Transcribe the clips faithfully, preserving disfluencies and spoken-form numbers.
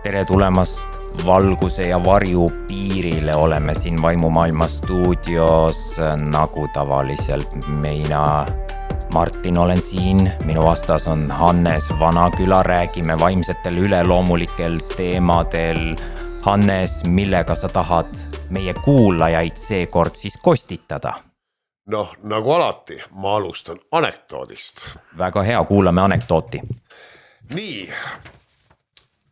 tere tulemast valguse ja varju piirile, oleme siin Vaimumaailma stuudios nagu tavaliselt. Mina, Martin, olen siin, minu vastas on Hannes Vanaküla, räägime vaimsetel üleloomulikel teemadel. Hannes, millega sa tahad meie kuulajaid seekord siis kostitada? Noh, nagu alati, ma alustan anekdoodist. Väga hea, kuulame anekdooti. Nii,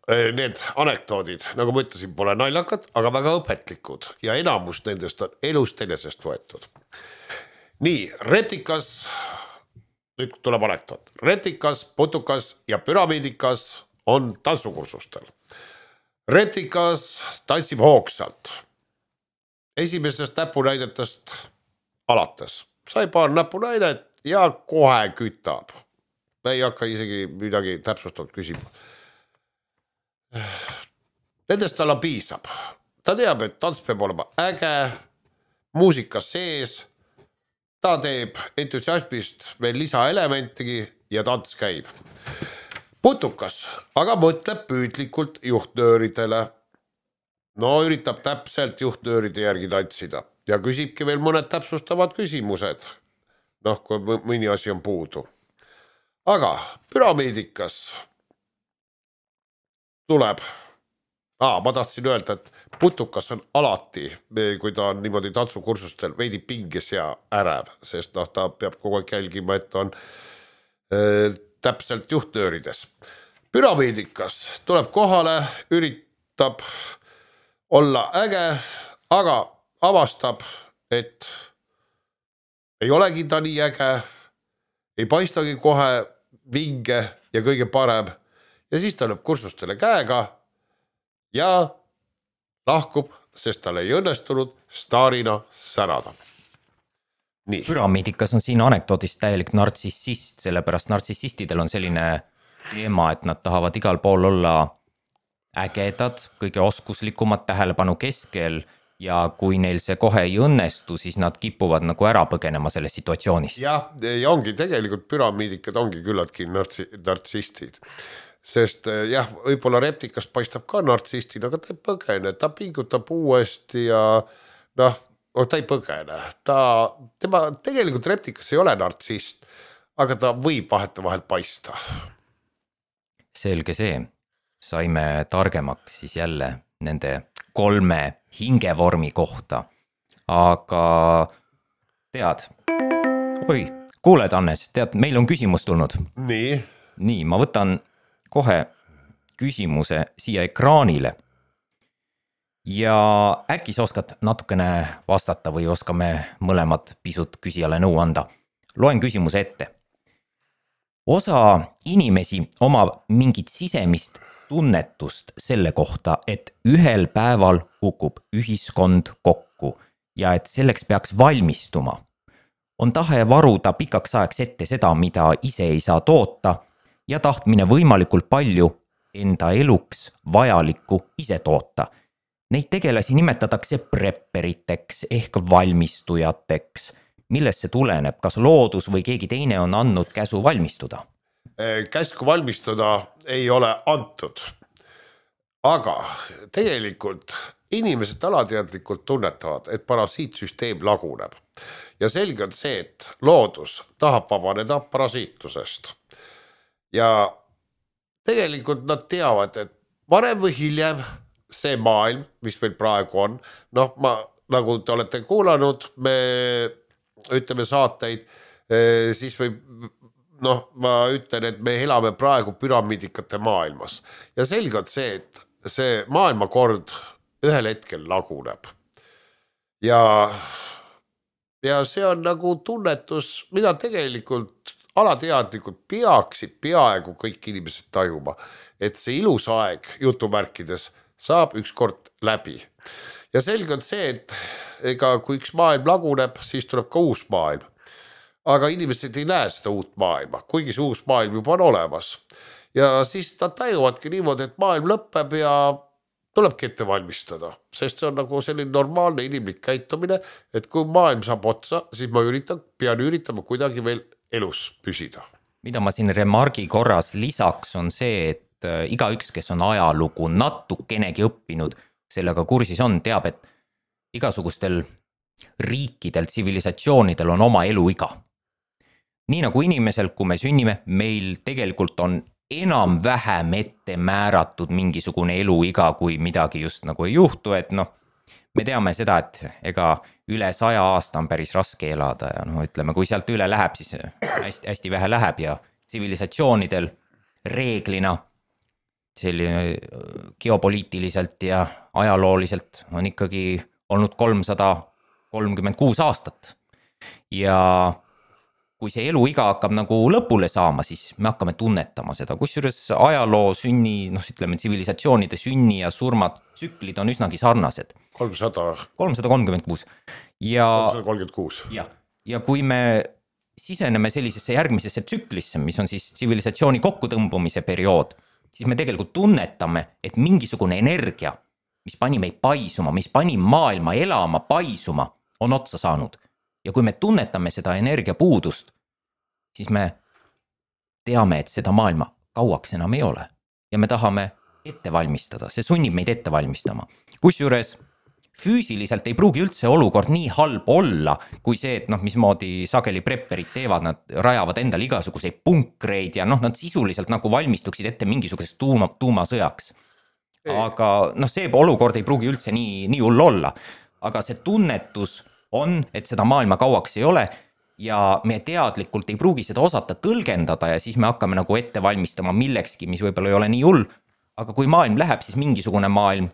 need anekdoodid, nagu ma ütlesin, pole naljakad, aga väga õpetlikud ja enamus nendest on elust enesest võetud. Nii, retikas, nüüd tuleb anekdoot. Retikas, putukas ja püramiidikas on tantsukursustel. Retikas tantsib hoogsalt. Esimesest näpunäidetest alates. Sai paar näpunäidet ja kohe kütab. Ei hakka isegi midagi täpsustatud küsima. Nendest talle piisab. Ta teab, et tants peab olema äge, muusika sees, ta teeb entusiasmist veel lisaelementigi ja tants käib. Putukas aga mõtleb püüdlikult juhtnööridele. No üritab täpselt juhtnööride järgi tantsida ja küsibki veel mõned täpsustavad küsimused. Noh, kui mõni asi on puudu. Aga püramiidikas tuleb, Aa, ma tahtsin öelda, et putukas on alati, kui ta on niimoodi tantsukursustel veidi pinges ja ärev, sest noh, ta peab kogu aeg jälgima, et on äh, täpselt juhtnöörides. Püramiidikas tuleb kohale, üritab olla äge, aga avastab, et ei olegi ta nii äge, ei paistagi kohe vinge ja kõige parem ja siis ta lööb kursustele käega ja lahkub, sest tal ei õnnestunud staarina särada. Nii. Püramiidikas on siin anekdoodist täielik nartsissist, sellepärast nartsissistidel on selline teema, et nad tahavad igal pool olla ägedad, kõige oskuslikumad tähelepanu keskel ja kui neil see kohe ei õnnestu, siis nad kipuvad nagu ära põgenema sellest situatsioonist. Ja, ja ongi tegelikult püramiidikad ongi küllaltki nartsi, nartsistid. Sest jah, võib-olla reptikast paistab ka nartsistina, aga ta ei põgene, ta pingutab uuesti ja noh, ta ei põgene. Ta, tema, tegelikult reptikas ei ole nartsist, aga ta võib vaheta vahel paista. Selge see. Saime targemaks siis jälle nende kolme hingevormi kohta. Aga tead, oi, kuuled Hannes, tead, meil on küsimus tulnud. Nii. Nii, ma võtan kohe küsimuse siia ekraanile. Ja äkki sa oskad natukene vastata või oskame mõlemad pisut küsijale nõu anda. Loen küsimuse ette. Osa inimesi omab mingit sisemist tunnetust selle kohta, et ühel päeval kukub ühiskond kokku ja et selleks peaks valmistuma. On tahe varuda pikaks ajaks ette seda, mida ise ei saa toota ja tahtmine võimalikult palju enda eluks vajalikku ise toota. Neid tegelasi nimetatakse prepperiteks ehk valmistujateks. Millest see tuleneb? Kas loodus või keegi teine on andnud käsu valmistuda? Käsku valmistuda ei ole antud. Aga tegelikult inimesed alateadlikult tunnetavad, et parasiitsüsteem laguneb. Ja selge on see, et loodus tahab vabaneda parasiitusest. Ja tegelikult nad teavad, et varem või hiljem see maailm, mis meil praegu on, noh, ma, nagu te olete kuulanud, me ütleme saateid, siis võib noh, ma ütlen, et me elame praegu püramiidikate maailmas. Ja selge on see, et see maailmakord ühel hetkel laguneb. Ja, ja see on nagu tunnetus, mida tegelikult alateadlikult peaksid peaaegu kõik inimesed tajuma, et see ilus aeg jutumärkides saab ükskord läbi. Ja selge on see, et ega kui üks maailm laguneb, siis tuleb ka uus maailm. Aga inimesed ei näe seda uut maailma, kuigi see uus maailm juba on olemas. Ja siis nad tajuvadki niimoodi, et maailm lõpeb ja tulebki ette valmistada. Sest see on nagu selline normaalne inimlik käitumine, et kui maailm saab otsa, siis ma üritan, pean üritama kuidagi veel elus püsida. Mida ma siin remargi korras lisaks on see, et et igaüks, kes on ajalugu natukenegi õppinud, sellega kursis on, teab, et igasugustel riikidel, tsivilisatsioonidel on oma eluiga. Nii nagu inimesel, kui me sünnime, meil tegelikult on enam-vähem ette määratud mingisugune eluiga, kui midagi just nagu ei juhtu, et noh, me teame seda, et ega üle saja aasta on päris raske elada ja noh, ütleme, kui sealt üle läheb, siis hästi, hästi vähe läheb ja tsivilisatsioonidel reeglina selline geopoliitiliselt ja ajalooliselt on ikkagi olnud kolmsada kolmkümmend kuus aastat ja kui see eluiga hakkab nagu lõpule saama, siis me hakkame tunnetama seda, kusjuures ajaloo sünni, noh ütleme, tsivilisatsioonide sünni ja surmad tsüklid on üsnagi sarnased. kolmsada kolmkümmend kuus ja kolmsada kolmkümmend kuus ja, ja kui me siseneme sellisesse järgmisesse tsüklisse, mis on siis tsivilisatsiooni kokkutõmbumise periood, siis me tegelikult tunnetame, et mingisugune energia, mis pani meid paisuma, mis pani maailma elama, paisuma, on otsa saanud. Ja kui me tunnetame seda energiapuudust, siis me teame, et seda maailma kauaks enam ei ole. Ja me tahame ette valmistada, see sunnib meid ette valmistama. Kusjuures füüsiliselt ei pruugi üldse olukord nii halb olla, kui see, et noh, mismoodi sageli prepperid teevad, nad rajavad endale igasuguseid punkreid ja noh, nad sisuliselt nagu valmistuksid ette mingisugusest tuuma, tuumasõjaks. Aga noh, see olukord ei pruugi üldse nii, nii hull olla, aga see tunnetus on, et seda maailma kauaks ei ole ja me teadlikult ei pruugi seda osata tõlgendada ja siis me hakkame nagu ette valmistama millekski, mis võib-olla ei ole nii hull, aga kui maailm läheb, siis mingisugune maailm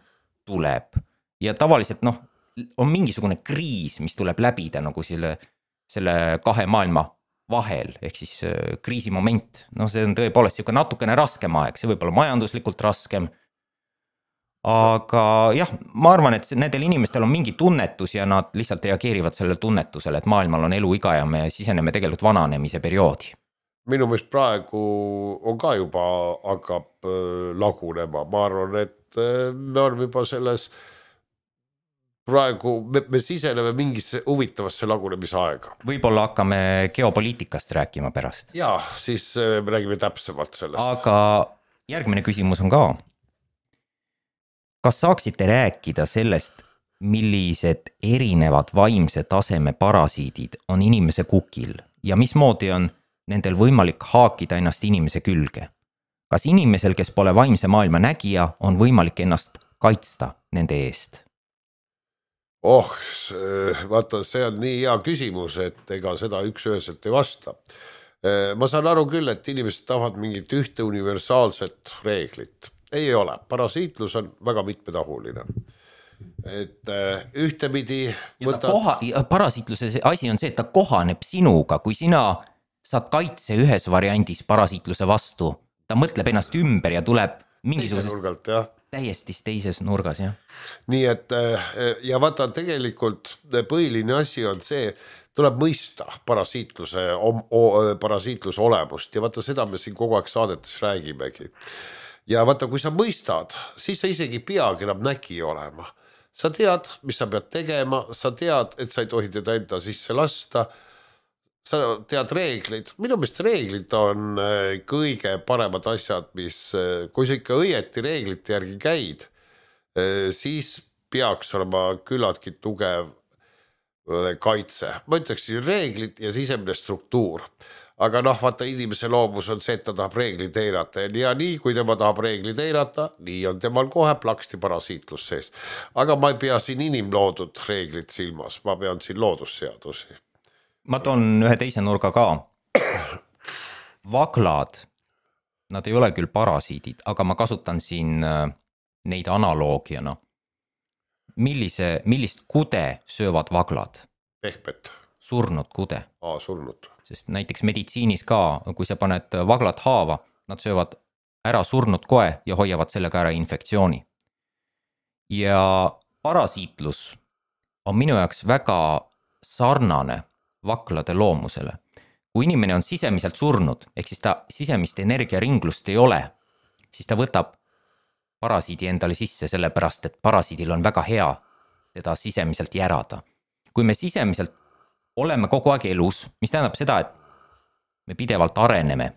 tuleb ja tavaliselt noh, on mingisugune kriis, mis tuleb läbida nagu selle, selle kahe maailma vahel, ehk siis kriisimoment, noh see on tõepoolest siuke natukene raskem aeg, see võib olla majanduslikult raskem, aga jah, ma arvan, et nendel inimestel on mingi tunnetus ja nad lihtsalt reageerivad sellele tunnetusele, et maailmal on eluiga ja me siseneme tegelikult vananemise perioodi. Minu meelest praegu on ka juba hakkab lagunema, ma arvan, et me oleme juba selles praegu, me, me siseneme mingisse huvitavasse lagunemise aega. Võib-olla hakkame geopoliitikast rääkima pärast. Ja, siis me räägime täpsemalt sellest. Aga järgmine küsimus on ka. Kas saaksite rääkida sellest, millised erinevad vaimse taseme parasiidid on inimese kukil ja mismoodi on nendel võimalik haakida ennast inimese külge? Kas inimesel, kes pole vaimse maailma nägija, on võimalik ennast kaitsta nende eest? Oh, vaata, see on nii hea küsimus, et ega seda üks üheselt ei vasta. Ma saan aru küll, et inimesed tahavad mingit ühte universaalset reeglit. Ei ole, parasiitlus on väga mitmetahuline. Et ühtepidi võtad... koha, parasiitluse asi on see, et ta kohaneb sinuga, kui sina saad kaitse ühes variandis parasiitluse vastu, ta mõtleb ennast ümber ja tuleb mingisuguses nurgalt, jah. täiesti teises nurgas, jah. Nii et ja vaata, tegelikult põhiline asi on see, tuleb mõista parasiitluse, parasiitluse olemust ja vaata seda me siin kogu aeg saadetes räägimegi. Ja vaata, kui sa mõistad, siis sa isegi peagi enam nägi olema. Sa tead, mis sa pead tegema, sa tead, et sa ei tohi teda enda sisse lasta, sa tead reeglid. Minu meelest reeglid on kõige paremad asjad, mis, kui sa ikka õieti reeglite järgi käid, siis peaks olema küllaltki tugev kaitse. Ma ütleks reeglid ja sisemine struktuur. Aga noh, vaata inimese loomus on see, et ta tahab reeglid eirata ja nii, kui tema tahab reeglid eirata, nii on temal kohe plaksti parasiitlus sees. Aga ma ei pea siin inimloodud reeglid silmas, ma pean siin loodusseadusi. Ma toon ühe teise nurga ka. Vaglad, nad ei ole küll parasiidid, aga ma kasutan siin neid analoogiana. Millise, millist kude söövad vaglad? Pehmet. Surnud kude. Aa, surnud. Sest näiteks meditsiinis ka, kui sa paned vaglad haava, nad söövad ära surnud koe ja hoiavad sellega ära infektsiooni. Ja parasiitlus on minu jaoks väga sarnane vaglade loomusele. Kui inimene on sisemiselt surnud, ehk siis ta sisemist energiaringlust ei ole, siis ta võtab parasiidi endale sisse sellepärast, et parasiidil on väga hea teda sisemiselt järada. Kui me sisemiselt oleme kogu aeg elus, mis tähendab seda, et me pidevalt areneme.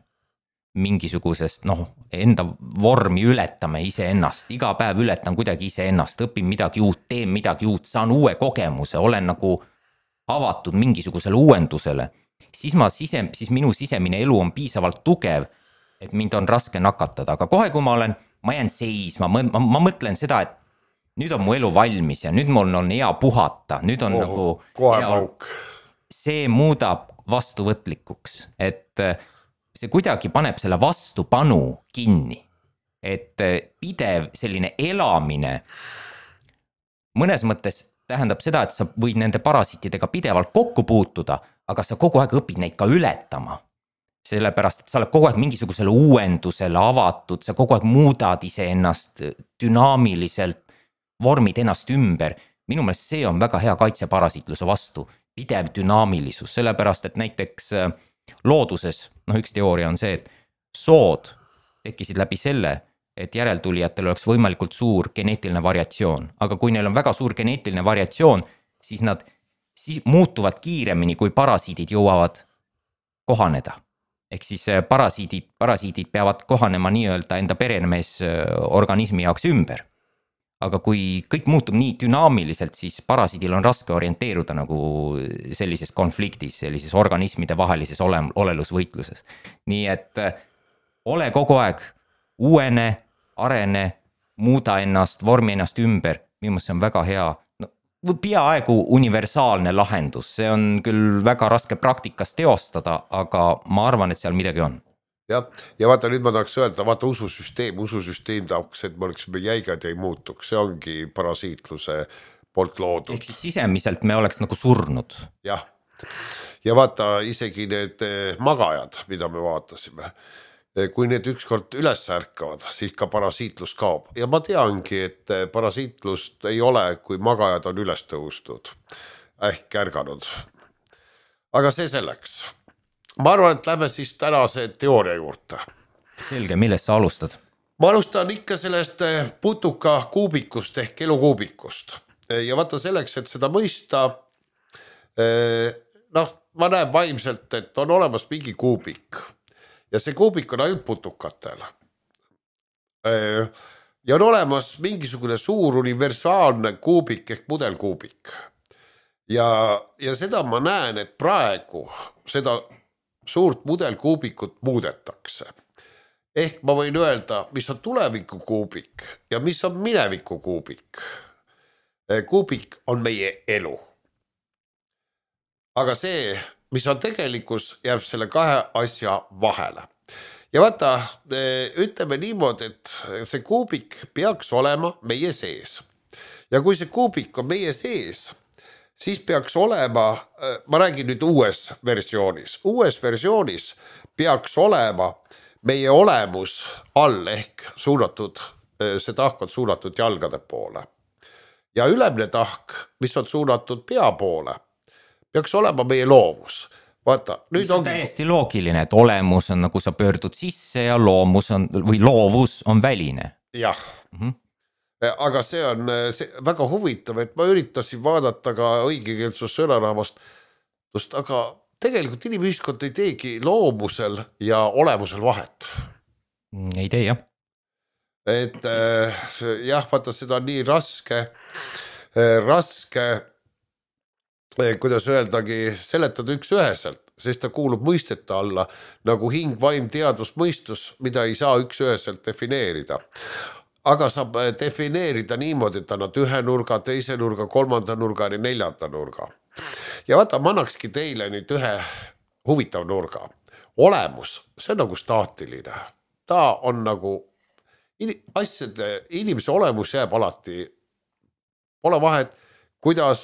mingisugusest, noh, enda vormi ületame iseennast, iga päev ületan kuidagi iseennast, õpin midagi uut, teen midagi uut, saan uue kogemuse, olen nagu avatud mingisugusele uuendusele, siis ma sise, siis minu sisemine elu on piisavalt tugev, et mind on raske nakatada, aga kohe, kui ma olen, ma jään seisma, ma, ma, ma mõtlen seda, et nüüd on mu elu valmis ja nüüd mul on hea puhata, nüüd on oh, nagu kohe pauk. See muudab vastuvõtlikuks, et see kuidagi paneb selle vastupanu kinni, et pidev selline elamine mõnes mõttes tähendab seda, et sa võid nende parasiitidega pidevalt kokku puutuda, aga sa kogu aeg õpid neid ka ületama. Sellepärast, et sa oled kogu aeg mingisugusele uuendusele avatud, sa kogu aeg muudad iseennast dünaamiliselt, vormid ennast ümber. Minu meelest see on väga hea kaitse parasiitluse vastu, pidev dünaamilisus, sellepärast, et näiteks looduses, noh üks teooria on see, et sood tekkisid läbi selle, et järeltulijatel oleks võimalikult suur geneetiline variatsioon, aga kui neil on väga suur geneetiline variatsioon, siis nad siis muutuvad kiiremini, kui parasiidid jõuavad kohaneda. Ehk siis parasiidid, parasiidid peavad kohanema nii-öelda enda peremees organismi jaoks ümber. Aga kui kõik muutub nii dünaamiliselt, siis parasiidil on raske orienteeruda nagu sellises konfliktis, sellises organismide vahelises ole, olelusvõitluses. Nii et ole kogu aeg uuene, arene, muuda ennast, vormi ennast ümber. Minu meelest see on väga hea, no, peaaegu universaalne lahendus. See on küll väga raske praktikas teostada, aga ma arvan, et seal midagi on. Ja, ja vaata, nüüd ma tahaks öelda, vaata ususüsteem, ususüsteem tahaks, et me oleksime jäigad ja ei muutuks, see ongi parasiitluse poolt loodud. Ehk siis sisemiselt me oleks nagu surnud. Jah, ja vaata isegi need magajad, mida me vaatasime, kui need ükskord üles ärkavad, siis ka parasiitlus kaob. Ja ma teangi, et parasiitlust ei ole, kui magajad on üles tõustud, ehk ärganud. Aga see selleks. Ma arvan, et lähme siis tänase teooria juurde. Selge, millest sa alustad? Ma alustan ikka sellest putuka kuubikust ehk elukuubikust. Ja vaata selleks, et seda mõista, noh, ma näen vaimselt, et on olemas mingi kuubik. Ja see kuubik on ainult putukatel. Ja on olemas mingisugune suur universaalne kuubik ehk mudelkuubik. Ja, ja seda ma näen, et praegu seda suurt mudelkuubikut muudetakse. Ehk ma võin öelda, mis on tuleviku kuubik ja mis on mineviku kuubik. Kuubik on meie elu. Aga see, mis on tegelikkus, jääb selle kahe asja vahele. Ja vaata, ütleme niimoodi, et see kuubik peaks olema meie sees. Ja kui see kuubik on meie sees, siis peaks olema, ma räägin nüüd uues versioonis, uues versioonis peaks olema meie olemus all ehk suunatud, see tahk on suunatud jalgade poole. Ja ülemine tahk, mis on suunatud pea poole, peaks olema meie loovus. Vaata, nüüd on ongi... täiesti loogiline, et olemus on nagu sa pöördud sisse ja loomus on, või loovus on väline. Jah. Mm-hmm. Aga see on see väga huvitav, et ma üritasin vaadata ka õigekeelsus sõnarahvast, aga tegelikult inimühiskond ei teegi loomusel ja olemusel vahet. Ei tee, jah. Et jah, vaata, seda on nii raske, raske, kuidas öeldagi, seletada üks üheselt, sest ta kuulub mõistete alla, nagu hing, vaim, teadvus, mõistus, mida ei saa üks üheselt defineerida. Aga saab defineerida niimoodi, et annad ühe nurga, teise nurga, kolmanda nurga ja neljanda nurga. Ja vaata, ma annakski teile nüüd ühe huvitav nurga. Olemus, see on nagu staatiline. Ta on nagu, asjade, inimese olemus jääb alati, pole vahet, kuidas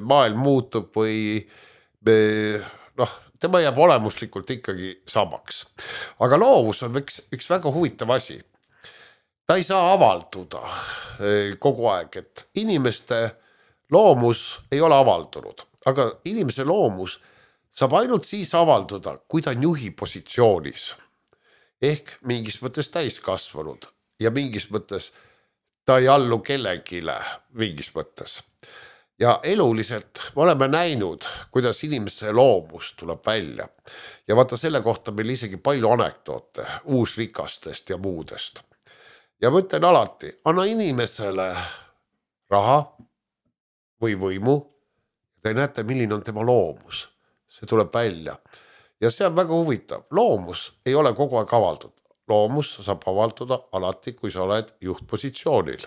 maailm muutub või noh, tema jääb olemuslikult ikkagi samaks. Aga loovus on üks, üks väga huvitav asi. Ta ei saa avalduda kogu aeg, et inimeste loomus ei ole avaldunud, aga inimese loomus saab ainult siis avalduda, kui ta on juhi positsioonis. Ehk mingis mõttes täiskasvanud ja mingis mõttes ta ei allu kellegile mingis mõttes. ja eluliselt me oleme näinud, kuidas inimese loomus tuleb välja. Ja vaata selle kohta meil isegi palju anekdoote uusrikastest ja muudest. Ja ma ütlen alati, anna inimesele raha või võimu, te näete, milline on tema loomus. See tuleb välja. Ja see on väga huvitav. Loomus ei ole kogu aeg avaldud. Loomus saab avalduda alati, kui sa oled juhtpositsioonil.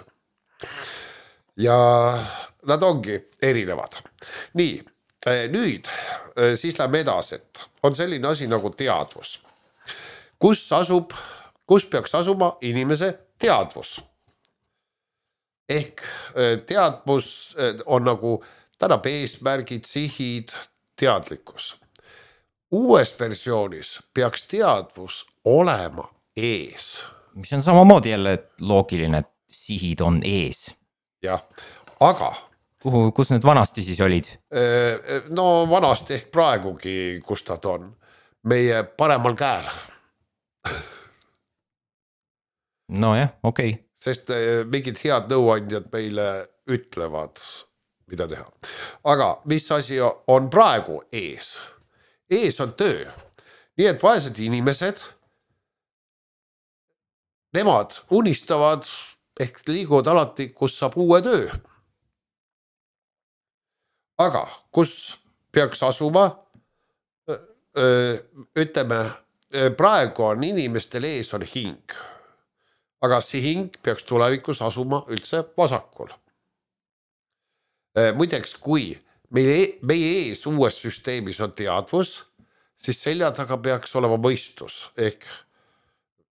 Ja nad ongi erinevad. Nii, nüüd siis lähme edasi, et on selline asi nagu teadvus. Kus asub, kus peaks asuma inimese teadvus? Ehk teadvus on nagu tänab eesmärgid, sihid, teadlikkus. Uues versioonis peaks teadvus olema ees. Mis on samamoodi jälle loogiline, et sihid on ees. Jah, aga... Kuhu, kus need vanasti siis olid? No vanasti ehk praegugi, kus nad on. Meie paremal käel. No jah, okei. Okay. Sest mingid head nõuandjad meile ütlevad, mida teha. Aga mis asi on praegu ees? Ees on töö. Nii et vaesed inimesed, nemad unistavad ehk liiguvad alati, kus saab uue töö. Aga kus peaks asuma? Ütleme, praegu on inimestel ees on hing. Aga see hing peaks tulevikus asuma üldse vasakul. Muideks, kui meie, meie ees uues süsteemis on teadvus, siis selja taga peaks olema mõistus, ehk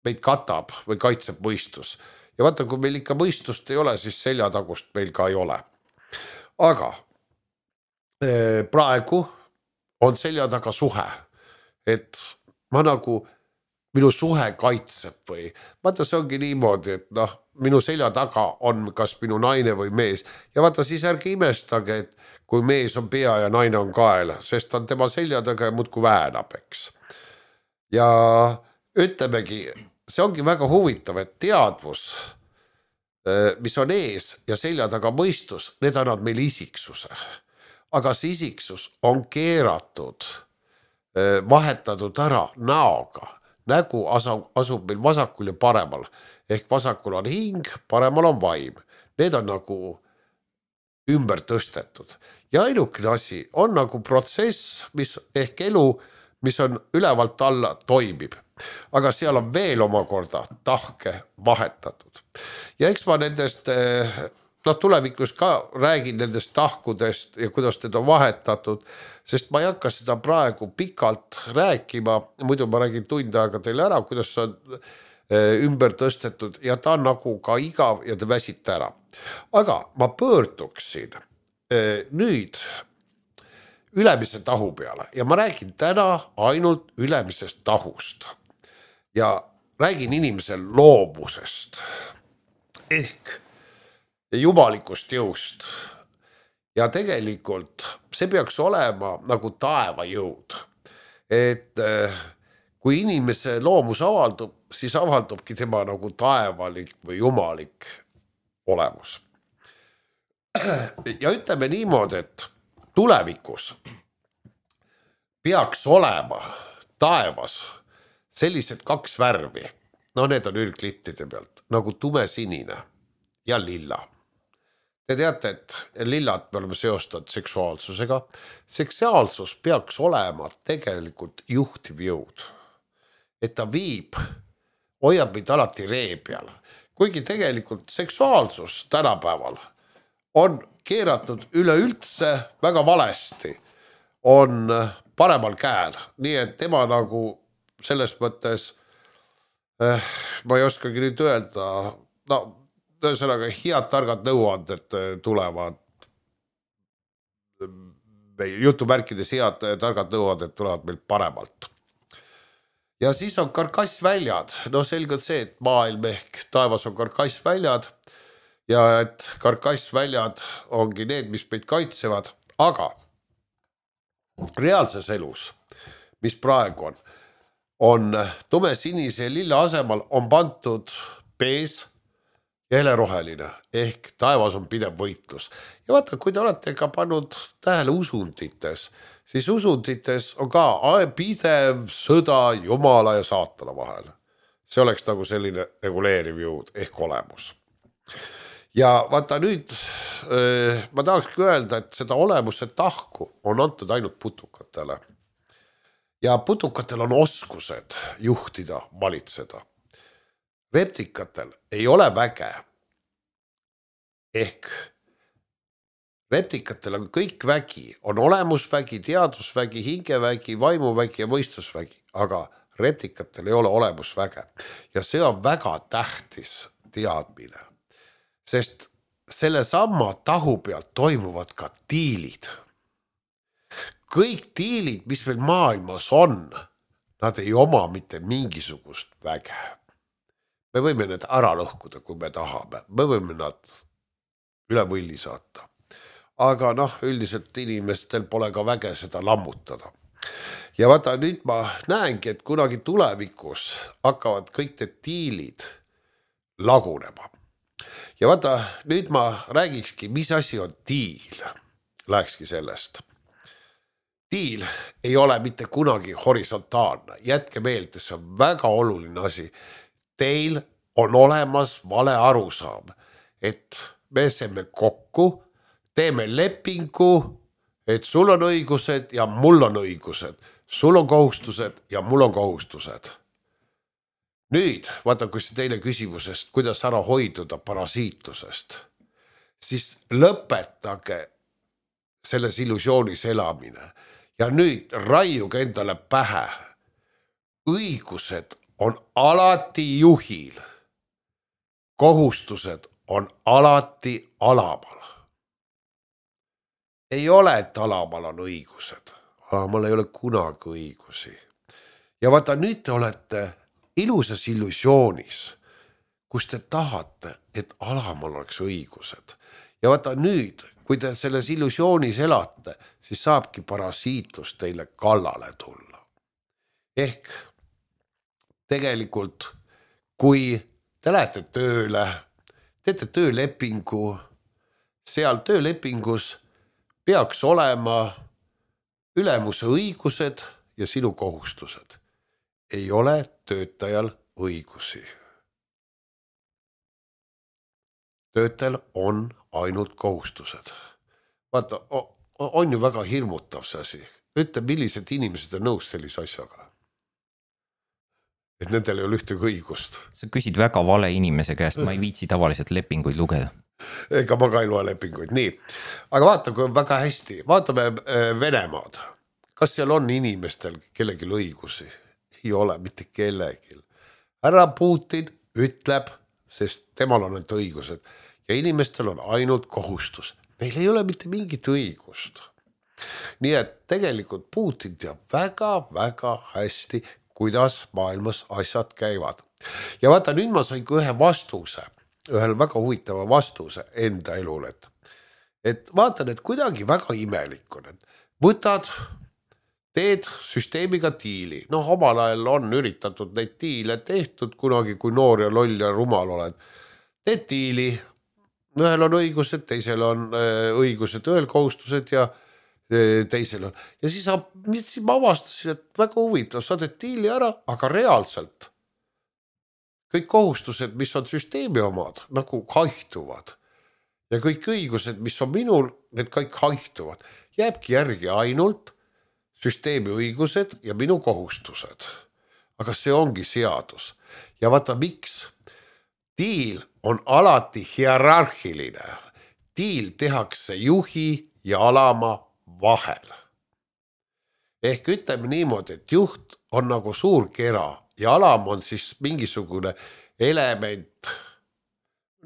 meid katab või kaitseb mõistus. Ja vaata, kui meil ikka mõistust ei ole, siis selja tagust meil ka ei ole. Aga praegu on selja taga suhe, et ma nagu, minu suhe kaitseb või, vaata see ongi niimoodi, et noh, minu selja taga on kas minu naine või mees ja vaata siis ärge imestage, et kui mees on pea ja naine on kael, sest on tema selja taga ja muudku väänab, eks. Ja ütlemegi, see ongi väga huvitav, et teadvus, mis on ees ja selja taga mõistus, need annavad meil isiksuse. Aga see isiksus on keeratud, vahetatud ära näoga. Nägu asub meil vasakul ja paremal. Ehk vasakul on hing, paremal on vaim. Need on nagu ümber tõstetud. Ja ainukene asi on nagu protsess, mis ehk elu, mis on ülevalt alla toimib. Aga seal on veel omakorda tahke vahetatud. Ja eks ma nendest... No tulevikus ka räägin nendest tahkudest ja kuidas need on vahetatud, sest ma ei hakka seda praegu pikalt rääkima, muidu ma räägin tund aega teile ära, kuidas see on ümber tõstetud ja ta on nagu ka igav ja te väsite ära. Aga ma pöörduksin nüüd ülemise tahu peale ja ma räägin täna ainult ülemisest tahust ja räägin inimese loomusest ehk jumalikust jõust. Ja tegelikult see peaks olema nagu taeva jõud. Et kui inimese loomus avaldub, siis avaldubki tema nagu taevalik või jumalik olemus. Ja ütleme niimoodi, et tulevikus peaks olema taevas sellised kaks värvi. No need on ülglittide pealt, nagu tumesinine ja lilla. Te teate, et lillat me oleme seostanud seksuaalsusega. Seksuaalsus peaks olema tegelikult juhtiv jõud. Et ta viib, hoiab meid alati ree peal. Kuigi tegelikult seksuaalsus tänapäeval on keeratud üleüldse väga valesti, on paremal käel. Nii et tema nagu selles mõttes, eh, ma ei oskagi nüüd öelda, no ühesõnaga head targad nõuanded tulevad, jutumärkides head targad nõuanded tulevad meil paremalt. Ja siis on karkassväljad, no selgelt see, et maailm ehk taevas on karkassväljad ja et karkassväljad ongi need, mis meid kaitsevad, aga reaalses elus, mis praegu on, on tumesinise ja lilla asemal on pantud pees ja heleroheline ehk taevas on pidev võitlus. Ja vaata, kui te olete ka pannud tähele usundites, siis usundites on ka pidev sõda Jumala ja saatana vahel. See oleks nagu selline reguleeriv jõud ehk olemus. Ja vaata nüüd ma tahakski öelda, et seda olemuse tahku on antud ainult putukatele. Ja putukatel on oskused juhtida, valitseda. Reptikatel ei ole väge. Ehk reptikatel on kõik vägi, on olemusvägi, teadusvägi, hingevägi, vaimuvägi ja mõistusvägi, aga reptikatel ei ole olemusväge. Ja see on väga tähtis teadmine, sest selle samma tahu pealt toimuvad ka tiilid. Kõik tiilid, mis meil maailmas on, nad ei oma mitte mingisugust väge. Me võime need ära lõhkuda, kui me tahame. Me võime nad üle võlli saata. Aga noh, üldiselt inimestel pole ka väge seda lammutada. Ja vaata, nüüd ma näengi, et kunagi tulevikus hakkavad kõik need tiilid lagunema. Ja vaata, nüüd ma räägikski, mis asi on tiil. Lähekski sellest. Tiil ei ole mitte kunagi horisontaalne. Jätke meelde, see on väga oluline asi. Teil on olemas vale arusaam, et me seeme kokku, teeme lepingu, et sul on õigused ja mul on õigused. Sul on kohustused ja mul on kohustused. Nüüd, vaata, kui see teine küsimusest, kuidas ära hoiduda parasiitlusest, siis lõpetage selles illusioonis elamine. Ja nüüd raiuge endale pähe. Õigused on alati juhil. Kohustused on alati alamal. Ei ole, et alamal on õigused. Alamal ei ole kunagi õigusi. Ja vaata, nüüd te olete ilusas illusioonis, kus te tahate, et alamal oleks õigused. Ja vaata nüüd, kui te selles illusioonis elate, siis saabki parasiitlus teile kallale tulla. Ehk tegelikult, kui te lähete tööle, teete töölepingu, seal töölepingus peaks olema ülemuse õigused ja sinu kohustused. Ei ole töötajal õigusi. Töötajal on ainult kohustused. Vaata, on ju väga hirmutav see asi. Ütle, millised inimesed on nõus sellise asjaga. Et nendel ei ole ühtegi õigust. Sa küsid väga vale inimese käest, ma ei viitsi tavaliselt lepinguid lugeda. Ega ma ka ei loe lepinguid, nii. Aga vaata, kui on väga hästi. Vaatame Venemaad. Kas seal on inimestel kellelgi õigusi? Ei ole mitte kellelgi. Härra Putin ütleb, sest temal on need õigused ja inimestel on ainult kohustus. Neil ei ole mitte mingit õigust. Nii et tegelikult Putin teab väga-väga hästi, kuidas maailmas asjad käivad. Ja vaata, nüüd ma sain ühe vastuse, ühel väga huvitava vastuse enda elul, et, et vaatan, et kuidagi väga imelik on, et võtad, teed süsteemiga tiili. Noh, omal ajal on üritatud neid tiile tehtud kunagi, kui noor ja loll ja rumal oled. Teed tiili, ühel on õigused, teisel on õigused, ühel kohustused ja teisel on. Ja siis, siis ma avastasin, et väga huvitav, sa teed tiili ära, aga reaalselt kõik kohustused, mis on süsteemi omad, nagu haihtuvad. Ja kõik õigused, mis on minul, need kõik haihtuvad. Jääbki järgi ainult süsteemi õigused ja minu kohustused. Aga see ongi seadus. Ja vaata, miks? Tiil on alati hierarhiline. Tiil tehakse juhi ja alama vahel. Ehk ütleme niimoodi, et juht on nagu suur kera ja alam on siis mingisugune element,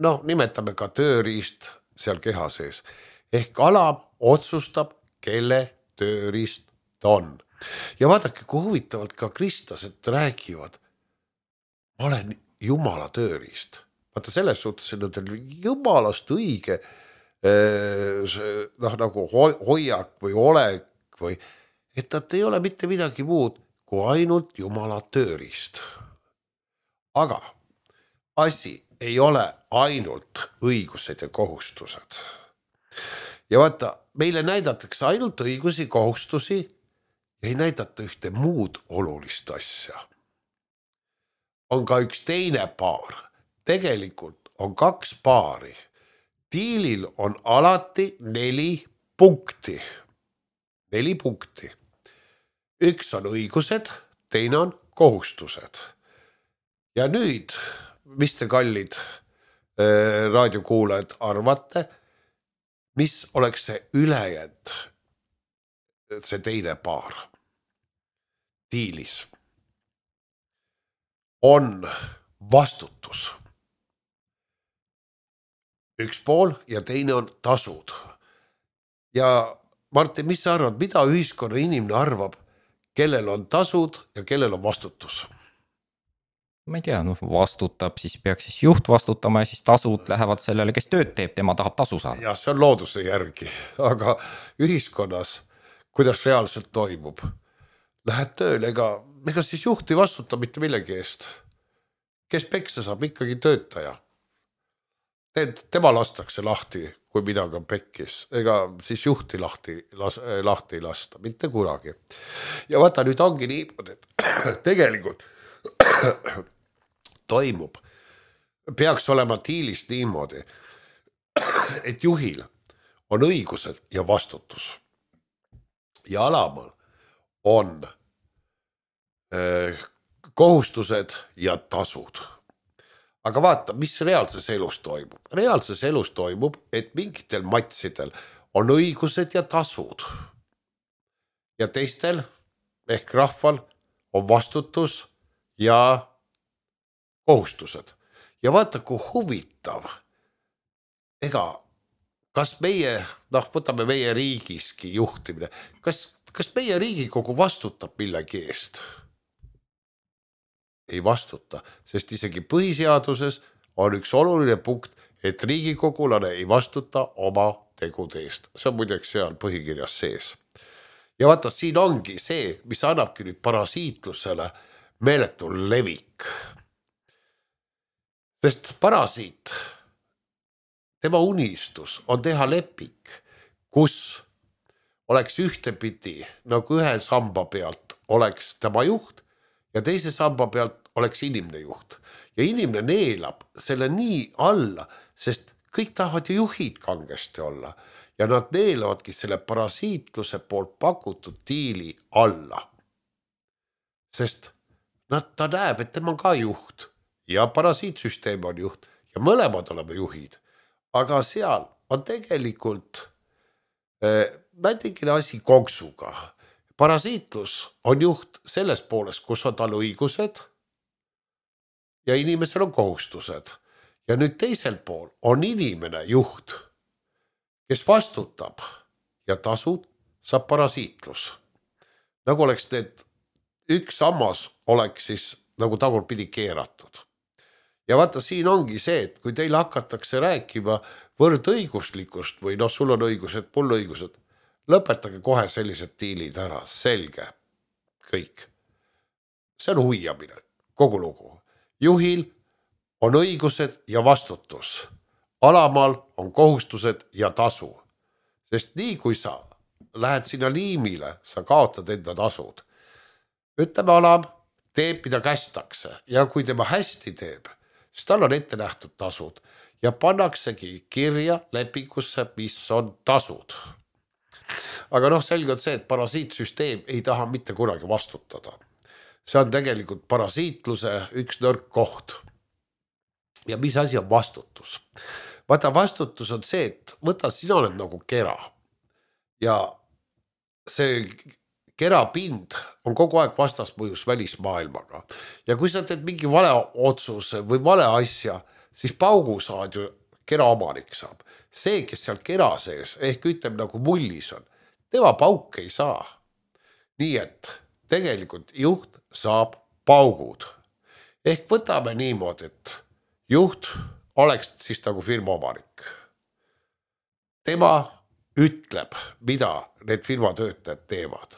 noh, nimetame ka tööriist seal keha sees. Ehk alam otsustab, kelle tööriist ta on. Ja vaadake, kui huvitavalt ka kristlased räägivad, ma olen Jumala tööriist. Vaata selles suhtes, et on Jumalast õige noh, nagu hoiak või olek või, et nad ei ole mitte midagi muud kui ainult Jumala tööriist. Aga asi ei ole ainult õigused ja kohustused. Ja vaata, meile näidatakse ainult õigusi, kohustusi ja ei näidata ühte muud olulist asja. On ka üks teine paar. Tegelikult on kaks paari. Diilil on alati neli punkti. Neli punkti. Üks on õigused, teine on kohustused. Ja nüüd, mis te kallid äh, raadiokuulajad arvate, mis oleks see ülejäänud, see teine paar diilis? On vastutus. Üks pool ja teine on tasud. Ja Martin, mis sa arvad, mida ühiskonna inimene arvab, kellel on tasud ja kellel on vastutus? Ma ei tea, no vastutab, siis peaks siis juht vastutama ja siis tasud lähevad sellele, kes tööd teeb, tema tahab tasu saada. Ja see on looduse järgi, aga ühiskonnas, kuidas reaalselt toimub? Lähed tööle, ega, ega siis juht ei vastuta mitte millegi eest. Kes peksa saab, ikkagi töötaja. Tema lastakse lahti, kui midagi on pekkis. Ega siis juhti lahti, las, lahti ei lasta, mitte kunagi. Ja vaata, nüüd ongi niimoodi, et tegelikult toimub, peaks olema diilis niimoodi, et juhil on õigused ja vastutus. Ja alamal on äh, kohustused ja tasud. Aga vaata, mis reaalses elus toimub. Reaalses elus toimub, et mingitel matsidel on õigused ja tasud. Ja teistel ehk rahval on vastutus ja kohustused. Ja vaata, kui huvitav. Ega, kas meie, noh, võtame meie riigiski juhtimine, kas, kas meie Riigikogu vastutab millegi eest? Ei vastuta, sest isegi põhiseaduses on üks oluline punkt, et Riigikogulane ei vastuta oma tegude eest. See on muideks seal põhikirjas sees. Ja vaata, siin ongi see, mis annabki nüüd parasiitlusele meeletu levik. Sest parasiit, tema unistus on teha lepik, kus oleks ühtepidi, nagu ühe samba pealt oleks tema juht ja teise samba pealt oleks inimene juht. Ja inimene neelab selle nii alla, sest kõik tahavad ju juhid kangesti olla. Ja nad neelavadki selle parasiitluse poolt pakutud diili alla. Sest nad, ta näeb, et tema on ka juht ja parasiitsüsteem on juht ja mõlemad oleme juhid. Aga seal on tegelikult äh, mätikene asi konksuga. Parasiitlus on juht selles pooles, kus on tal õigused ja inimesel on kohustused. Ja nüüd teisel pool on inimene juht, kes vastutab ja tasud saab parasiitlus. Nagu oleks need üks sammas oleks siis nagu tagurpidi keeratud. Ja vaata, siin ongi see, et kui teil hakatakse rääkima võrdõiguslikust või noh, sul on õigused, mul õigused, lõpetage kohe sellised diilid ära, selge, kõik. See on huijamine, kogu lugu. Juhil on õigused ja vastutus. Alamal on kohustused ja tasu. Sest nii kui sa lähed sinna liimile, sa kaotad enda tasud. Ütleme, alam teeb, mida kästakse ja kui tema hästi teeb, siis tal on ette nähtud tasud ja pannaksegi kirja lepingusse, mis on tasud. Aga noh, selge on see, et parasiitsüsteem ei taha mitte kunagi vastutada. See on tegelikult parasiitluse üks nõrk koht. Ja mis asi on vastutus? Vaata, vastutus on see, et võta, sina oled nagu kera. Ja see kerapind on kogu aeg vastasmõjus välismaailmaga. Ja kui sa teed mingi vale otsuse või vale asja, siis paugu saad ju kera omanik saab. See, kes seal kera sees, ehk ütleme nagu mullis on, tema pauk ei saa. Nii et tegelikult juht saab paugud. Ehk võtame niimoodi, et juht oleks siis nagu firma omanik. Tema ütleb, mida need firma töötajad teevad.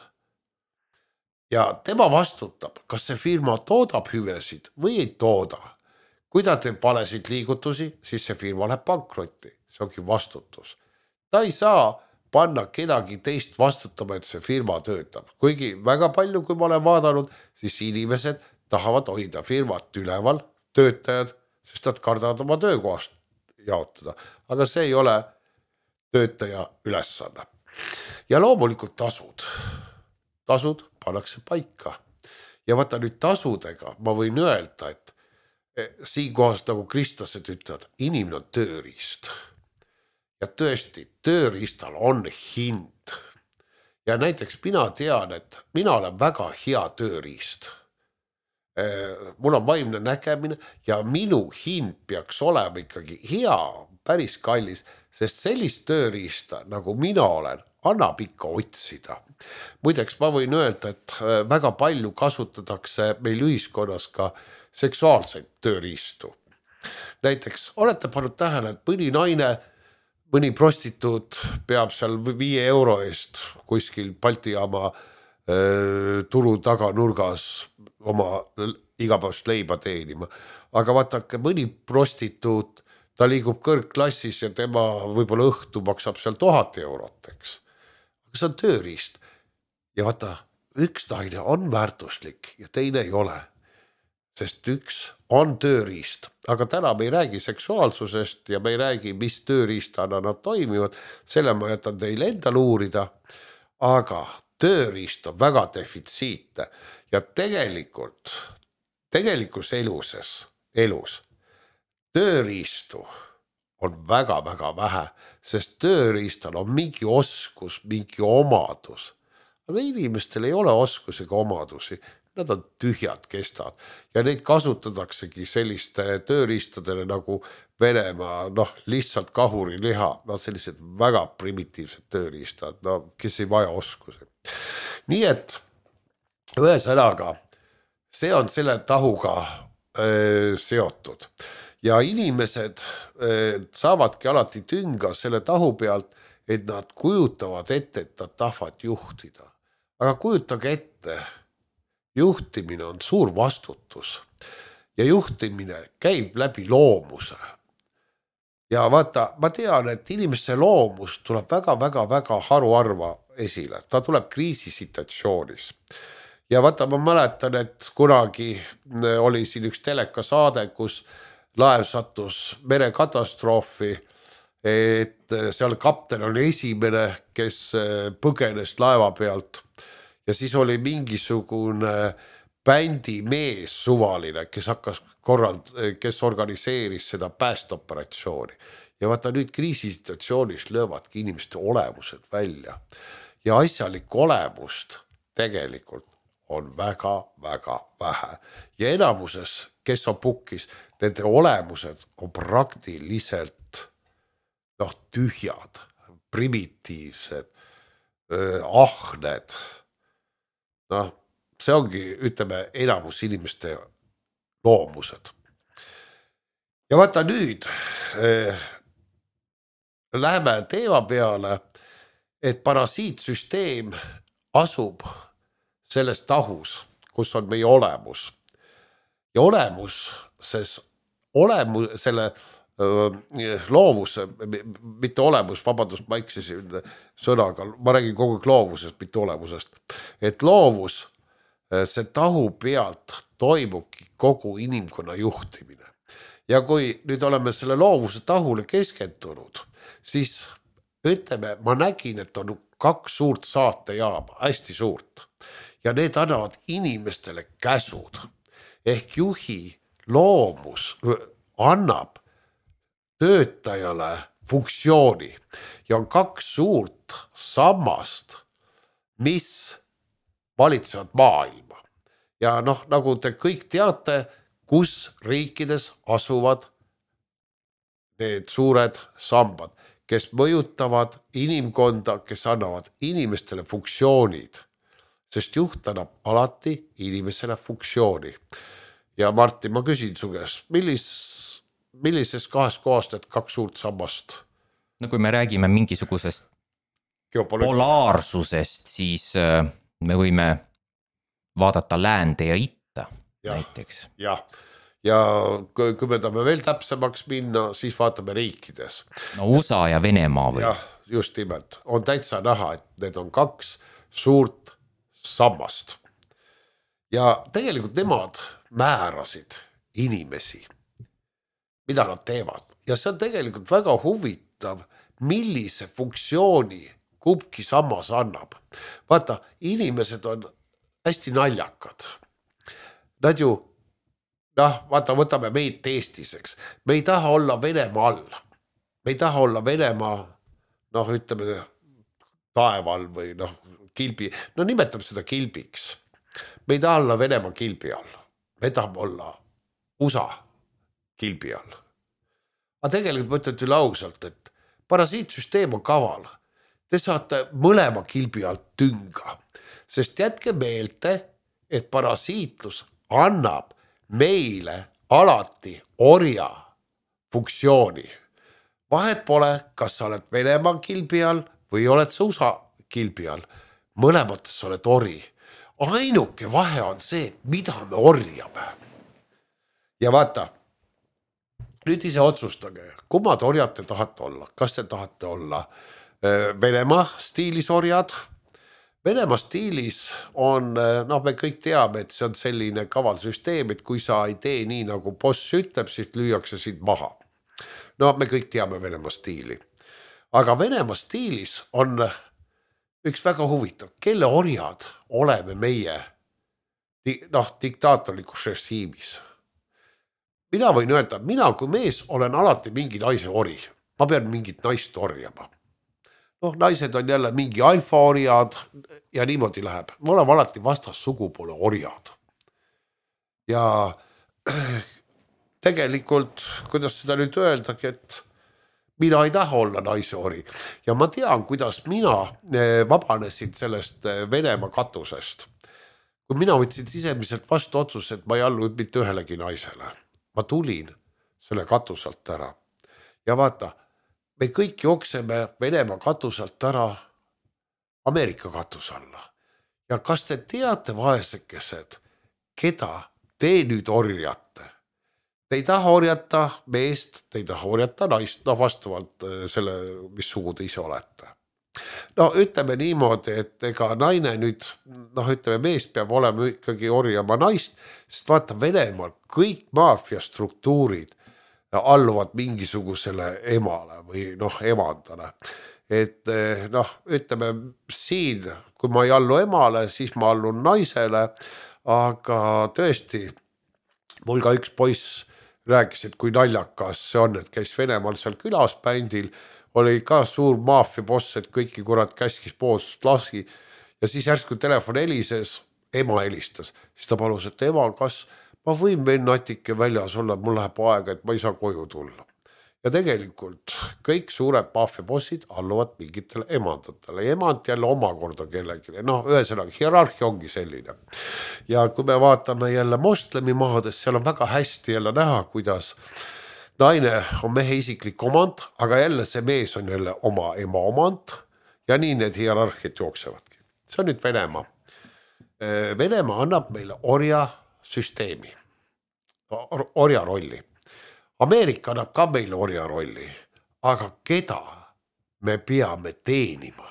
Ja tema vastutab, kas see firma toodab hüvesid või ei tooda. kui ta teeb valesid liigutusi, siis see firma läheb pankrotti, see ongi vastutus. Ta ei saa panna kedagi teist vastutama, et see firma töötab. Kuigi väga palju, kui ma olen vaadanud, siis inimesed tahavad hoida firmat üleval, töötajad, sest nad kardavad oma töökohast jaotada. Aga see ei ole töötaja ülesanne. Ja loomulikult tasud. Tasud pannakse paika. Ja vaata nüüd tasudega ma võin öelda, et siin kohas nagu kristlased ütlevad, inimene on tööriist. Ja tõesti, tööriistal on hind. Ja näiteks mina tean, et mina olen väga hea tööriist. Mul on vaimne nägemine ja minu hind peaks olema ikkagi hea, päris kallis, sest sellist tööriista, nagu mina olen, annab ikka otsida. Muideks ma võin öelda, et väga palju kasutatakse meil ühiskonnas ka seksuaalseid tööriistu. Näiteks olete pannud tähele, et mõni naine, mõni prostituut peab seal viie euro eest kuskil Balti jaama äh, turu taganurgas oma igapäevast leiba teenima. Aga vaatake, mõni prostituut, ta liigub kõrgklassis ja tema võib-olla õhtu maksab seal tuhat eurot, eks. Aga see on tööriist. Ja vaata, üks naine on väärtuslik ja teine ei ole. Sest üks on tööriist, aga täna me ei räägi seksuaalsusest ja me ei räägi, mis tööriistana nad toimivad, selle ma jätan teile endal uurida, aga tööriist on väga defitsiitne ja tegelikult, tegelikus eluses, elus, tööriistu on väga-väga vähe, sest tööriistal on mingi oskus, mingi omadus, aga inimestel ei ole oskusega omadusi. Nad on tühjad kestad ja neid kasutataksegi selliste tööriistadele nagu Venemaa, noh, lihtsalt kahuri liha, no sellised väga primitiivsed tööriistad, no kes ei vaja oskusi. Nii et ühesõnaga, see on selle tahuga öö, seotud ja inimesed öö, saavadki alati tünga selle tahu pealt, et nad kujutavad ette, et nad tahvad juhtida. Aga kujutage ette, juhtimine on suur vastutus ja juhtimine käib läbi loomuse. Ja vaata, ma tean, et inimese loomus tuleb väga-väga-väga haruarva esile. Ta tuleb kriisisituatsioonis. Ja vaata, ma mäletan, et kunagi oli siin üks telekasaade, kus laev sattus merekatastroofi, et seal kapten oli esimene, kes põgenes laeva pealt. Ja siis oli mingisugune bändimees suvaline, kes hakkas korrald, kes organiseeris seda päästeoperatsiooni. Ja vaata nüüd kriisisituatsioonis löövadki inimeste olemused välja. Ja asjalikku olemust tegelikult on väga-väga vähe. Ja enamuses, kes on pukkis, nende olemused on praktiliselt noh, tühjad, primitiivsed, ahned. Noh, see ongi, ütleme, enamus inimeste loomused. Ja vaata nüüd äh, läheme teema peale, et parasiitsüsteem asub selles tahus, kus on meie olemus. Ja olemus, ses, olemus selle äh, loovus, mitte olemus, vabandust, ma eksisin sõnaga, ma räägin kogu aeg loovusest, mitte olemusest, et loovus, see tahu pealt toimubki kogu inimkonna juhtimine. Ja kui nüüd oleme selle loovuse tahule keskendunud, siis ütleme, ma nägin, et on kaks suurt saatejaama, hästi suurt, ja need annavad inimestele käsud. Ehk juhi loomus annab töötajale funktsiooni ja on kaks suurt sammast, mis valitsevad maailma. Ja noh, nagu te kõik teate, kus riikides asuvad need suured sambad, kes mõjutavad inimkonda, kes annavad inimestele funktsioonid, sest juht annab alati inimesele funktsiooni. Ja Martin, ma küsin su käest, millis, millises kahest kohast et kaks suurt sammast? No kui me räägime mingisugusest polaarsusest, siis me võime vaadata läände ja itta ja, näiteks. Jah, ja kui, kui me tahame veel täpsemaks minna, siis vaatame riikides. No U S A ja Venemaa või? Jah, just nimelt. On täitsa näha, et need on kaks suurt sammast. Ja tegelikult nemad määrasid inimesi, mida nad teevad. Ja see on tegelikult väga huvitav, millise funktsiooni kumbki sammas annab. Vaata, inimesed on hästi naljakad. Nad ju, noh, vaata, võtame meid Eestiseks. Me ei taha olla Venemaa all. Me ei taha olla Venemaa, noh, ütleme, taeval või noh, kilbi. No nimetame seda kilbiks. Me ei taha olla Venemaa kilbi all. Me tahame olla U S A kilbi all. Aga tegelikult ma ütlen üle ausalt, et parasiitsüsteem on kaval. Te saate mõlema kilbi alt tünga, sest jätke meelde, et parasiitlus annab meile alati orja funktsiooni. Vahet pole, kas sa oled Venemaa kilbi all või oled sa U S A kilbi all. Mõlemates oled ori. Ainuke vahe on see, mida me orjame. Ja vaata, nüüd ise otsustage, kummad orjad te tahate olla. Kas te tahate olla Venemaa stiilis orjad? Venemaa stiilis on, noh, me kõik teame, et see on selline kaval süsteem, et kui sa ei tee nii, nagu boss ütleb, siis lüüakse sind maha. No me kõik teame Venemaa stiili. Aga Venemaa stiilis on üks väga huvitav, kelle orjad oleme meie noh, diktaatorlikus režiimis. Mina võin öelda, mina kui mees olen alati mingi naise ori. Ma pean mingit naist orjama. Noh, naised on jälle mingi alfa orjad ja niimoodi läheb. Me oleme alati vastas sugupoole orjad. Ja tegelikult, kuidas seda nüüd öeldagi, et mina ei taha olla naise ori. Ja ma tean, kuidas mina vabanesin sellest Venemaa katusest. Kui mina võtsin sisemiselt vastu otsus, et ma ei allu mitte ühelegi naisele. Ma tulin selle katusalt ära. Ja vaata, me kõik jookseme Venemaa katusalt ära Ameerika katus alla. Ja kas te teate, vaesekesed, keda te nüüd orjate? Te ei taha orjata meest, te ei taha orjata naist, no vastavalt selle, mis sugu te ise olete. No ütleme niimoodi, et ega naine nüüd, noh ütleme, mees peab olema ikkagi orjama naist, sest vaata Venemaal kõik maafiastruktuurid alluvad mingisugusele emale või noh emandale. Et noh, ütleme siin, kui ma ei allu emale, siis ma allun naisele, aga tõesti, mul ka üks poiss rääkis, et kui naljakas see on, et käis Venemaal seal külas bändil, oli ka suur maafia boss, et kõiki kurat käskis poolsust laski ja siis järsku telefon helises, ema helistas, siis ta palus, et ema, kas ma võin veel natike väljas olla, mul läheb aega, et ma ei saa koju tulla. Ja tegelikult kõik suured maafia bossid alluvad mingitele emandatele ja emand jälle omakorda kellegi. No ühesõnaga, hierarhia ongi selline. Ja kui me vaatame jälle moslemi maades, seal on väga hästi jälle näha, kuidas naine on mehe isiklik omand, aga jälle see mees on jälle oma ema omand ja nii need hierarhiad jooksevadki. See on nüüd Venemaa. Venemaa annab meile orja süsteemi, orja rolli. Ameerika annab ka meile orja rolli, aga keda me peame teenima?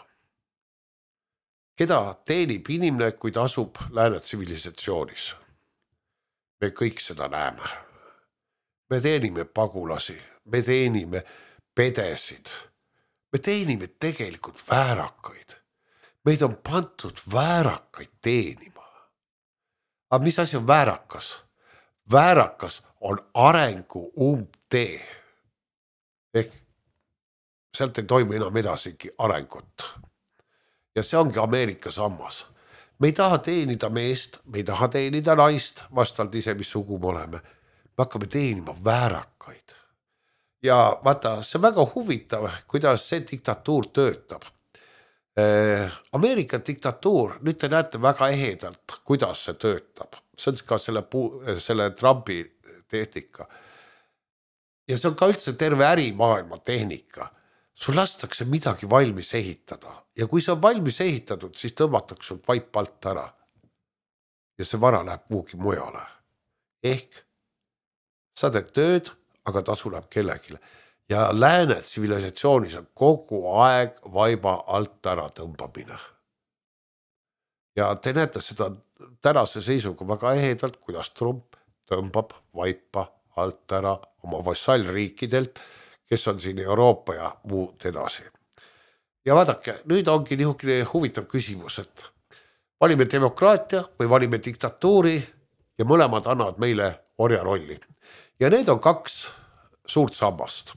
Keda teenib inimene, kui ta asub lääne tsivilisatsioonis? Me kõik seda näeme. Me teenime pagulasi, me teenime pedesid, me teenime tegelikult väärakaid. Meid on pantud väärakaid teenima. Aga mis asi on väärakas? Väärakas on arengu umbtee. Ehk sealt ei toimu enam edasigi arengut. Ja see ongi Ameerika sammas. Me ei taha teenida meest, me ei taha teenida naist, vastavalt ise, mis sugu me oleme. Me hakkame teenima väärakaid. Ja vaata, see on väga huvitav, kuidas see diktatuur töötab. Ameerika diktatuur, nüüd te näete väga ehedalt, kuidas see töötab. See on ka selle, selle Trumpi tehnika. Ja see on ka üldse terve ärimaailma tehnika. Sul lastakse midagi valmis ehitada. Ja kui see on valmis ehitatud, siis tõmmatakse sul vaip alt ära. Ja see vara läheb kuhugi mujale. Ehk sa teed tööd, aga tasu läheb kellegile. Ja lääne tsivilisatsiooniis on kogu aeg vaiba alt ära tõmbamine. Ja te näete seda tänase seisuga väga ehedalt, kuidas Trump tõmbab vaipa alt ära oma vassallriikidelt, kes on siin Euroopa ja muud edasi. Ja vaadake, nüüd ongi niisugune huvitav küsimus, et valime demokraatia või valime diktatuuri ja mõlemad annavad meile orja rolli. Ja need on kaks suurt sammast.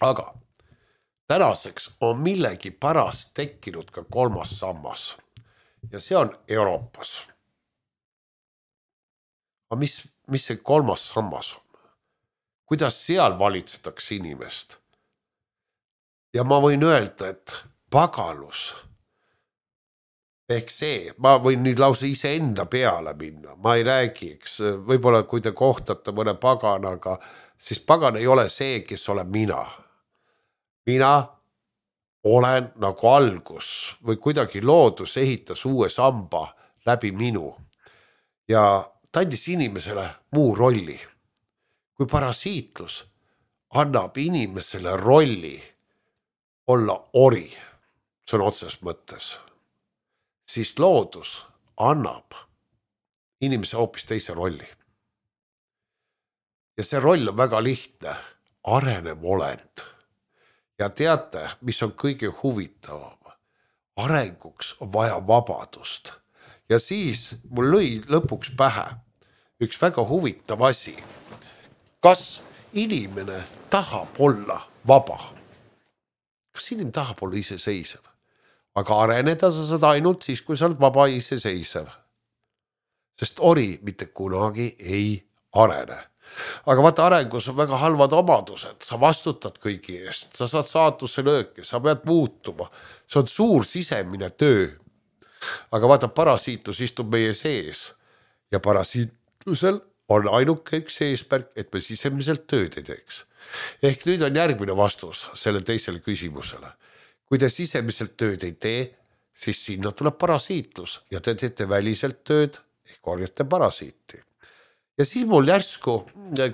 Aga tänaseks on millegi pärast tekkinud ka kolmas sammas. Ja see on Euroopas. Aga mis, mis see kolmas sammas on? Kuidas seal valitsetakse inimest? Ja ma võin öelda, et pagalus, ehk see, ma võin nüüd lause ise enda peale minna, ma ei räägi, eks, võib-olla kui te kohtate mõne paganaga, siis pagan ei ole see, kes olen mina. Mina olen nagu algus või kuidagi loodus ehitas uue samba läbi minu ja ta andis inimesele muu rolli. Kui parasiitlus annab inimesele rolli olla ori, see on otses mõttes, siis loodus annab inimese hoopis teise rolli. Ja see roll on väga lihtne, arenev olend. Ja teate, mis on kõige huvitavam? Arenguks on vaja vabadust. Ja siis mul lõi lõpuks pähe üks väga huvitav asi. Kas inimene tahab olla vaba? Kas inimene tahab olla iseseisev? Aga areneda sa saad ainult siis, kui sa oled vaba iseseisev. Sest ori mitte kunagi ei arene. Aga vaata, arengus on väga halvad omadused, sa vastutad kõigi eest, sa saad saatuse lööke, sa pead muutuma, see on suur sisemine töö. Aga vaata, parasiitus istub meie sees ja parasiitusel on ainuke üks eesmärk, et me sisemiselt tööd ei teeks. Ehk nüüd on järgmine vastus selle teisele küsimusele. Kui te sisemiselt tööd ei tee, siis sinna tuleb parasiitlus ja te teete väliselt tööd ehk korjate parasiiti. Ja siis mul järsku,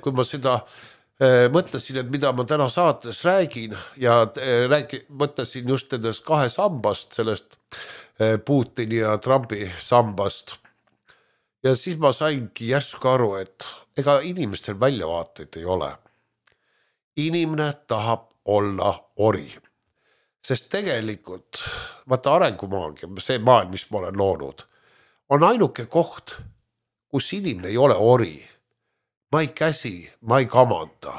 kui ma seda äh, mõtlesin, et mida ma täna saates räägin ja äh, räägi, mõtlesin just nendest kahe sambast, sellest äh, Putini ja Trumpi sambast. Ja siis ma saingi järsku aru, et ega inimestel väljavaateid ei ole. Inimene tahab olla ori. Sest tegelikult, vaata arengumaagia, see maailm, mis ma olen loonud, on ainuke koht, kus inimene ei ole ori. Ma ei käsi, ma ei kamanda,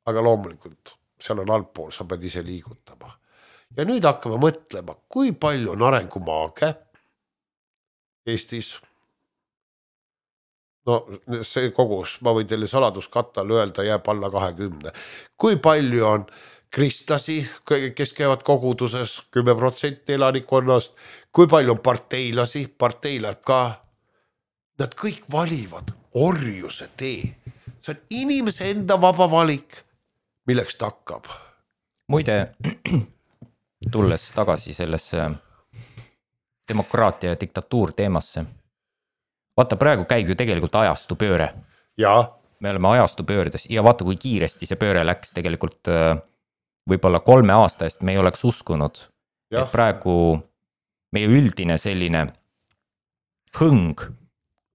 aga loomulikult seal on altpool, sa pead ise liigutama. Ja nüüd hakkame mõtlema, kui palju on arengumaage Eestis. No see kogus, ma võin teile saladuskattal öelda, jääb alla kahekümne. Kui palju on kristlasi, kes käivad koguduses, kümme protsenti elanikonnast, kui palju on parteilasi, partei läheb ka. Nad kõik valivad orjuse tee. See on inimese enda vaba valik, milleks ta hakkab. Muide, tulles tagasi sellesse demokraatia ja diktatuur teemasse. Vaata, praegu käib ju tegelikult ajastu pööre. Ja. Me oleme ajastu pöördes ja vaata, kui kiiresti see pööre läks tegelikult võib-olla kolme aasta eest me ei oleks uskunud. Ja. Et praegu meie üldine selline hõng,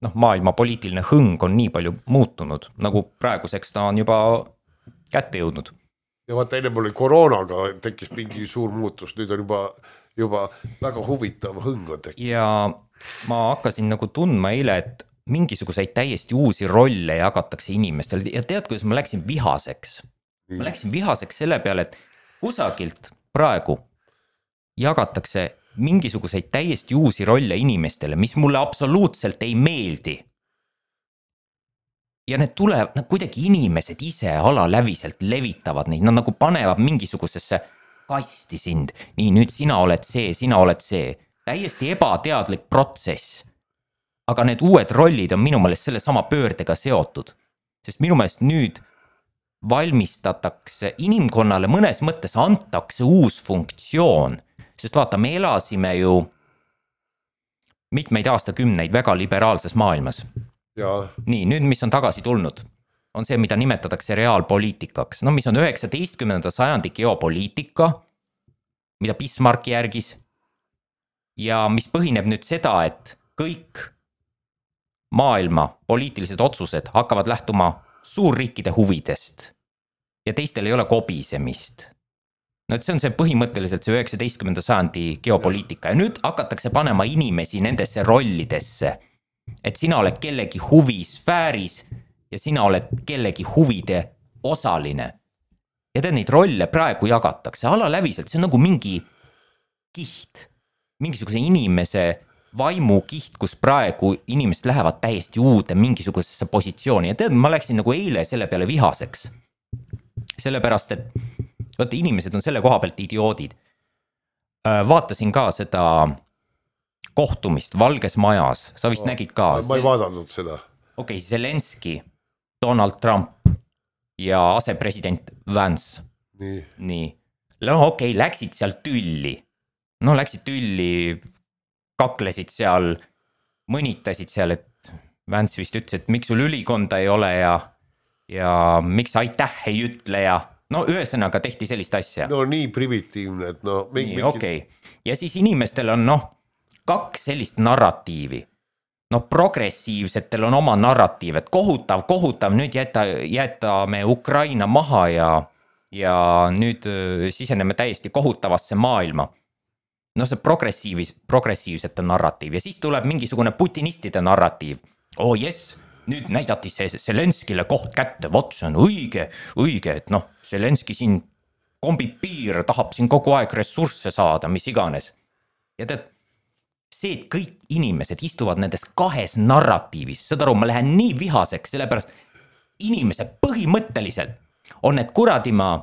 noh, maailma poliitiline hõng on nii palju muutunud, nagu praeguseks ta on juba kätte jõudnud. Ja vaata, enne oli koroonaga tekkis mingi suur muutus, nüüd on juba, juba väga huvitav hõng on tekkinud. Ja ma hakkasin nagu tundma eile, et mingisuguseid täiesti uusi rolle jagatakse inimestele ja tead, kuidas ma läksin vihaseks. Ma läksin vihaseks selle peale, et kusagilt praegu jagatakse mingisuguseid täiesti uusi rolle inimestele, mis mulle absoluutselt ei meeldi. Ja need tulevad, nad kuidagi inimesed ise alaläviselt levitavad neid, nad nagu panevad mingisugusesse kasti sind. Nii, nüüd sina oled see, sina oled see. Täiesti ebateadlik protsess. Aga need uued rollid on minu meelest selle sama pöördega seotud. Sest minu meelest nüüd valmistatakse inimkonnale, mõnes mõttes antakse uus funktsioon. Sest vaata, me elasime ju mitmeid aastakümneid väga liberaalses maailmas. Ja. Nii, nüüd mis on tagasi tulnud, on see, mida nimetatakse reaalpoliitikaks, no mis on üheksateistkümnenda sajandi geopoliitika, mida Bismarck järgis ja mis põhineb nüüd seda, et kõik maailma poliitilised otsused hakkavad lähtuma suurriikide huvidest ja teistel ei ole kobisemist. No et see on see põhimõtteliselt see üheksateistkümnenda sajandi geopoliitika ja nüüd hakatakse panema inimesi nendesse rollidesse, et sina oled kellegi huvisfääris ja sina oled kellegi huvide osaline. Ja tead, neid rolle praegu jagatakse alaläviselt, see on nagu mingi kiht, mingisuguse inimese vaimukiht, kus praegu inimesed lähevad täiesti uude mingisugusesse positsiooni ja tead, ma läksin nagu eile selle peale vihaseks. Sellepärast, et vaata, inimesed on selle koha pealt idioodid. Vaatasin ka seda kohtumist Valges Majas, sa vist no, nägid ka. Ma ei vaadanud seda. Okei, okay, Zelenski, Donald Trump ja asepresident Vance. Nii. Nii. No okei, okay, läksid seal tülli. No läksid tülli, kaklesid seal, mõnitasid seal, et Vance vist ütles, et miks sul ülikonda ei ole ja, ja miks aitäh ei ütle ja no ühesõnaga tehti sellist asja. No nii primitiivne, et no... Nii, okei. Okay. Ja siis inimestel on noh, kaks sellist narratiivi. No progressiivsetel on oma narratiiv, et kohutav, kohutav, nüüd jäta, jätame Ukraina maha ja, ja nüüd siseneme täiesti kohutavasse maailma. No see progressiivis, progressiivsete narratiiv ja siis tuleb mingisugune putinistide narratiiv. Oh jess, nüüd näidati see Zelenskile koht kätte, vot see on õige, õige, et noh, Zelenski siin kombib piir, tahab siin kogu aeg ressursse saada, mis iganes. Ja tead, see, et kõik inimesed istuvad nendes kahes narratiivis, seda aru, ma lähen nii vihaseks, sellepärast inimesed põhimõtteliselt on need kuradima,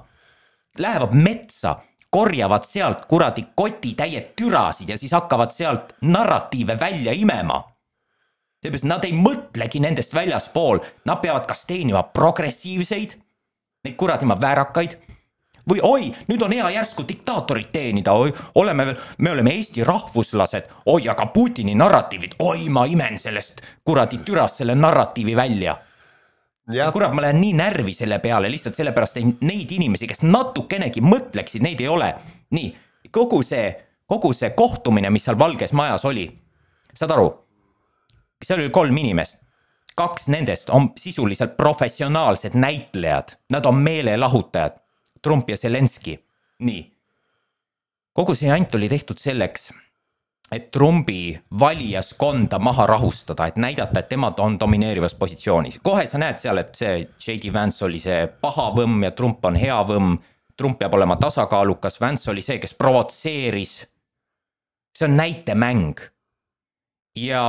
lähevad metsa, korjavad sealt kuradi koti täied türasid ja siis hakkavad sealt narratiive välja imema. Seepärast nad ei mõtlegi nendest väljaspool, nad peavad kas teenima progressiivseid, neid kuradima väärakaid, või oi, nüüd on hea järsku diktaatorit teenida, oi, oleme veel, me oleme Eesti rahvuslased, oi, aga Putini narratiivid, oi, ma imen sellest kuradi türast selle narratiivi välja. Ja. Kurat, ma lähen nii närvi selle peale, lihtsalt sellepärast neid inimesi, kes natukenegi mõtleksid, neid ei ole. Nii, kogu see, kogu see kohtumine, mis seal Valges Majas oli, saad aru, seal oli kolm inimest, kaks nendest on sisuliselt professionaalsed näitlejad, nad on meelelahutajad, Trump ja Zelenski. Nii, kogu see jant oli tehtud selleks, et Trumpi valijaskonda maha rahustada, et näidata, et temad on domineerivas positsioonis. Kohe sa näed seal, et see J D Vance oli see paha võmm ja Trump on hea võmm. Trump peab olema tasakaalukas, Vance oli see, kes provotseeris. See on näitemäng. Ja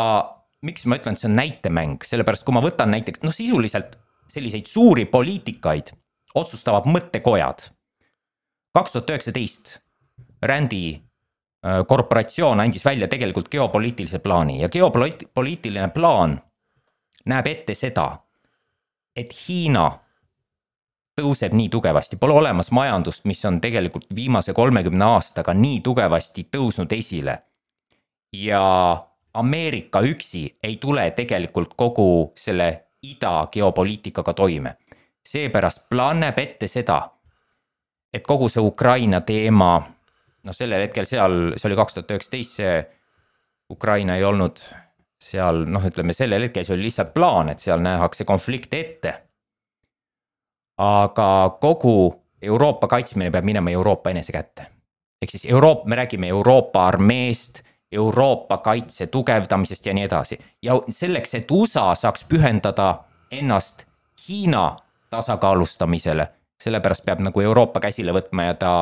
miks ma ütlen, et see on näitemäng? Sellepärast, kui ma võtan näiteks, no sisuliselt selliseid suuri poliitikaid otsustavad mõttekojad. kaks tuhat üheksateist Randi korporatsioon andis välja tegelikult geopoliitilise plaani ja geopoliitiline plaan näeb ette seda, et Hiina tõuseb nii tugevasti, pole olemas majandust, mis on tegelikult viimase kolmekümne aastaga nii tugevasti tõusnud esile ja Ameerika üksi ei tule tegelikult kogu selle ida geopoliitikaga toime. Seepärast plaan näeb ette seda, et kogu see Ukraina teema no sellel hetkel seal, see oli kaks tuhat üheksateist, see Ukraina ei olnud seal, noh ütleme sellel hetkel see oli lihtsalt plaan, et seal nähakse konflikte ette. Aga kogu Euroopa kaitsmine peab minema Euroopa enese kätte. Ehk siis Euroopa, me räägime Euroopa armeest, Euroopa kaitse tugevdamisest ja nii edasi. Ja selleks, et U S A saaks pühendada ennast Hiina tasakaalustamisele, sellepärast peab nagu Euroopa käsile võtma ja ta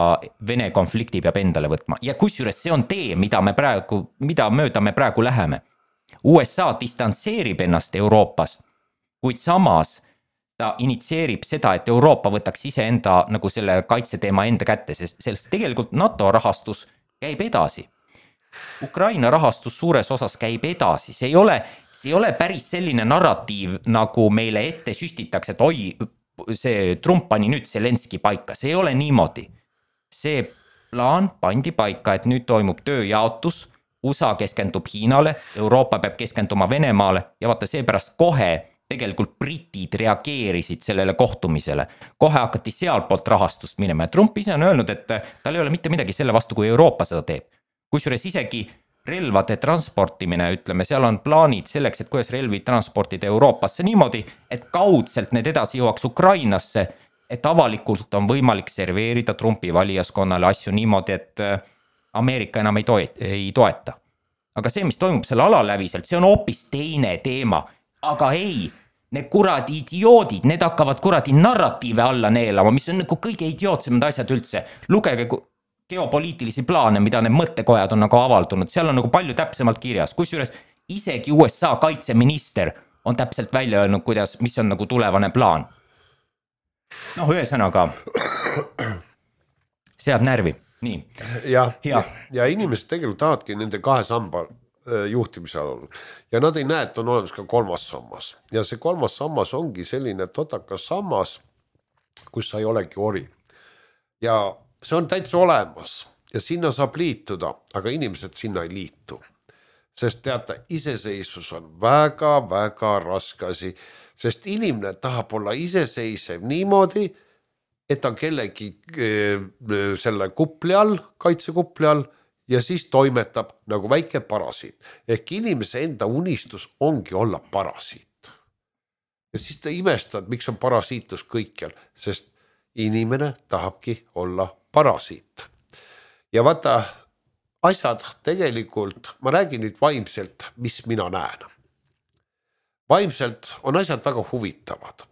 Vene konflikti peab endale võtma. Ja kusjuures see on tee, mida me praegu, mida mööda me praegu läheme. U S A distantseerib ennast Euroopast, kuid samas ta initseerib seda, et Euroopa võtaks ise enda nagu selle kaitseteema enda kätte, sest sellest tegelikult NATO rahastus käib edasi. Ukraina rahastus suures osas käib edasi, see ei ole, see ei ole päris selline narratiiv, nagu meile ette süstitakse, et oi, see Trump pani nüüd Zelenski paika, see ei ole niimoodi. See plaan pandi paika, et nüüd toimub tööjaotus, U S A keskendub Hiinale, Euroopa peab keskenduma Venemaale ja vaata seepärast kohe tegelikult britid reageerisid sellele kohtumisele. Kohe hakati sealt poolt rahastust minema ja Trump ise on öelnud, et tal ei ole mitte midagi selle vastu, kui Euroopa seda teeb. Kusjuures isegi relvade transportimine, ütleme, seal on plaanid selleks, et kuidas relvi transportida Euroopasse niimoodi, et kaudselt need edasi jõuaks Ukrainasse, et avalikult on võimalik serveerida Trumpi valijaskonnale asju niimoodi, et Ameerika enam ei, toet, ei toeta. Aga see, mis toimub selle alaläviselt, see on hoopis teine teema. Aga ei, need kuradi idioodid, need hakkavad kuradi narratiive alla neelama, mis on nagu kõige idiootsemad asjad üldse. Lugege geopoliitilisi plaane, mida need mõttekojad on nagu avaldunud, seal on nagu palju täpsemalt kirjas. Kusjuures isegi U S A kaitseminister on täpselt välja öelnud, kuidas, mis on nagu tulevane plaan. Noh, ühesõnaga, seab närvi. Nii. Ja, ja. ja inimesed tegelikult tahavadki nende kahe samba juhtimise all. Ja nad ei näe, et on olemas ka kolmas sammas. Ja see kolmas sammas ongi selline totakas sammas, kus sa ei olegi ori. Ja see on täitsa olemas ja sinna saab liituda, aga inimesed sinna ei liitu. Sest teate, iseseisvus on väga-väga raske asi, sest inimene tahab olla iseseisev niimoodi, et on kellegi selle kupli all, kaitsekupli all ja siis toimetab nagu väike parasiit. Ehk inimese enda unistus ongi olla parasiit. Ja siis ta imestad, miks on parasiitus kõikjal, sest inimene tahabki olla parasiit. Ja vaata, asjad tegelikult, ma räägin nüüd vaimselt, mis mina näen. Vaimselt on asjad väga huvitavad.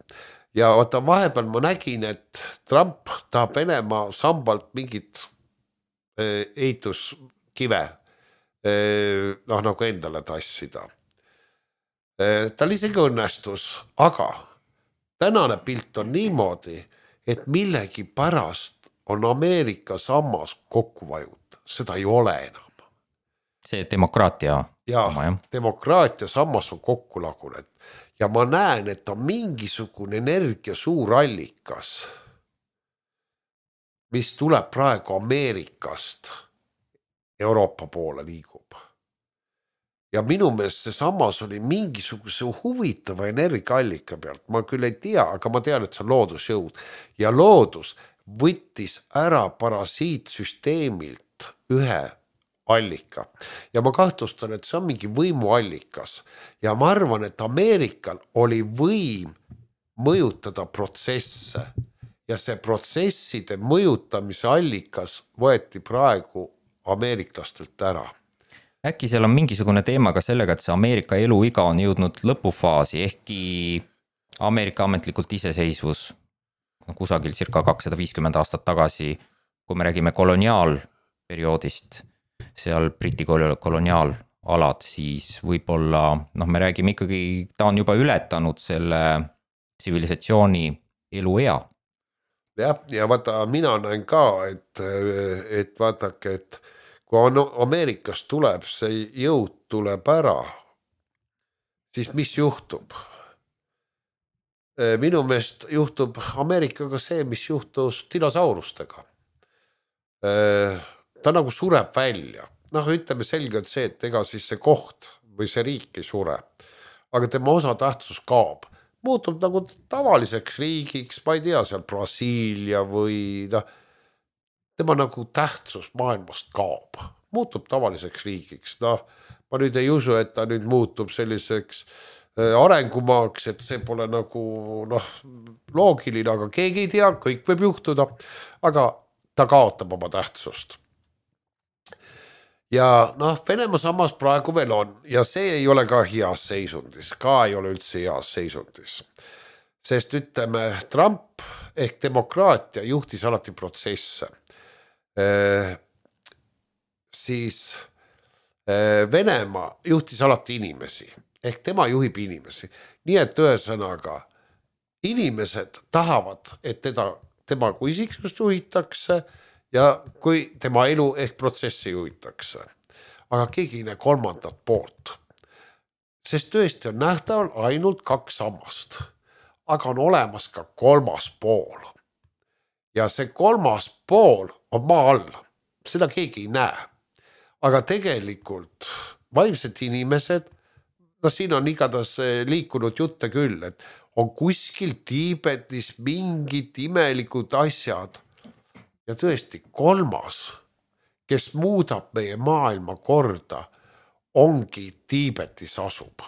Ja vaata, vahepeal ma nägin, et Trump tahab Venemaa sambalt mingit ehituskive noh, nagu endale tassida. Tal isegi õnnestus, aga tänane pilt on niimoodi, et millegi pärast on Ameerika sammas kokku vajut. Seda ei ole enam. See demokraatia. Ja, oma, demokraatia sammas on kokku lagunenud. Ja ma näen, et on mingisugune energia suur allikas, mis tuleb praegu Ameerikast Euroopa poole liigub. Ja minu meelest see samas oli mingisuguse huvitava energiaallika pealt. Ma küll ei tea, aga ma tean, et see on loodusjõud. Ja loodus võttis ära parasiitsüsteemilt ühe allika. Ja ma kahtlustan, et see on mingi võimuallikas. Ja ma arvan, et Ameerikal oli võim mõjutada protsesse. Ja see protsesside mõjutamise allikas võeti praegu ameeriklastelt ära. Äkki seal on mingisugune teema ka sellega, et see Ameerika eluiga on jõudnud lõpufaasi, ehkki Ameerika ametlikult iseseisvus kusagil circa kakssada viiskümmend aastat tagasi, kui me räägime koloniaalperioodist, seal Briti koloniaalalad, siis võib-olla, noh, me räägime ikkagi, ta on juba ületanud selle tsivilisatsiooni eluea. Ja, ja vaata, mina näen ka, et, et vaatake, et kui Ameerikast tuleb, see jõud tuleb ära, siis mis juhtub? Minu meelest juhtub Ameerikaga see, mis juhtus dinosaurustega. Ta nagu sureb välja. Noh, ütleme selgelt see, et ega siis see koht või see riik ei sure. Aga tema osa tähtsus kaob. Muutub nagu tavaliseks riigiks, ma ei tea, seal Brasiilia või no, tema nagu tähtsus maailmast kaob. Muutub tavaliseks riigiks. No, ma nüüd ei usu, et ta nüüd muutub selliseks arengumaaks, et see pole nagu noh, loogiline, aga keegi ei tea, kõik võib juhtuda, aga ta kaotab oma tähtsust. Ja noh, Venemaa samas praegu veel on ja see ei ole ka heas seisundis, ka ei ole üldse heas seisundis. Sest ütleme, Trump ehk demokraatia juhtis alati protsesse. Eh, siis eh, Venemaa juhtis alati inimesi, ehk tema juhib inimesi. Nii et ühesõnaga, inimesed tahavad, et teda, tema kui isiksust juhitakse ja kui tema elu ehk protsessi juhitakse. Aga keegi ei näe kolmandat poolt. Sest tõesti on nähtaval ainult kaks sammast. Aga on olemas ka kolmas pool. Ja see kolmas pool on maa all. Seda keegi ei näe. Aga tegelikult vaimsed inimesed no siin on igatahes liikunud jutte küll, et on kuskil Tiibetis mingid imelikud asjad. Ja tõesti kolmas, kes muudab meie maailma korda, ongi Tiibetis asub.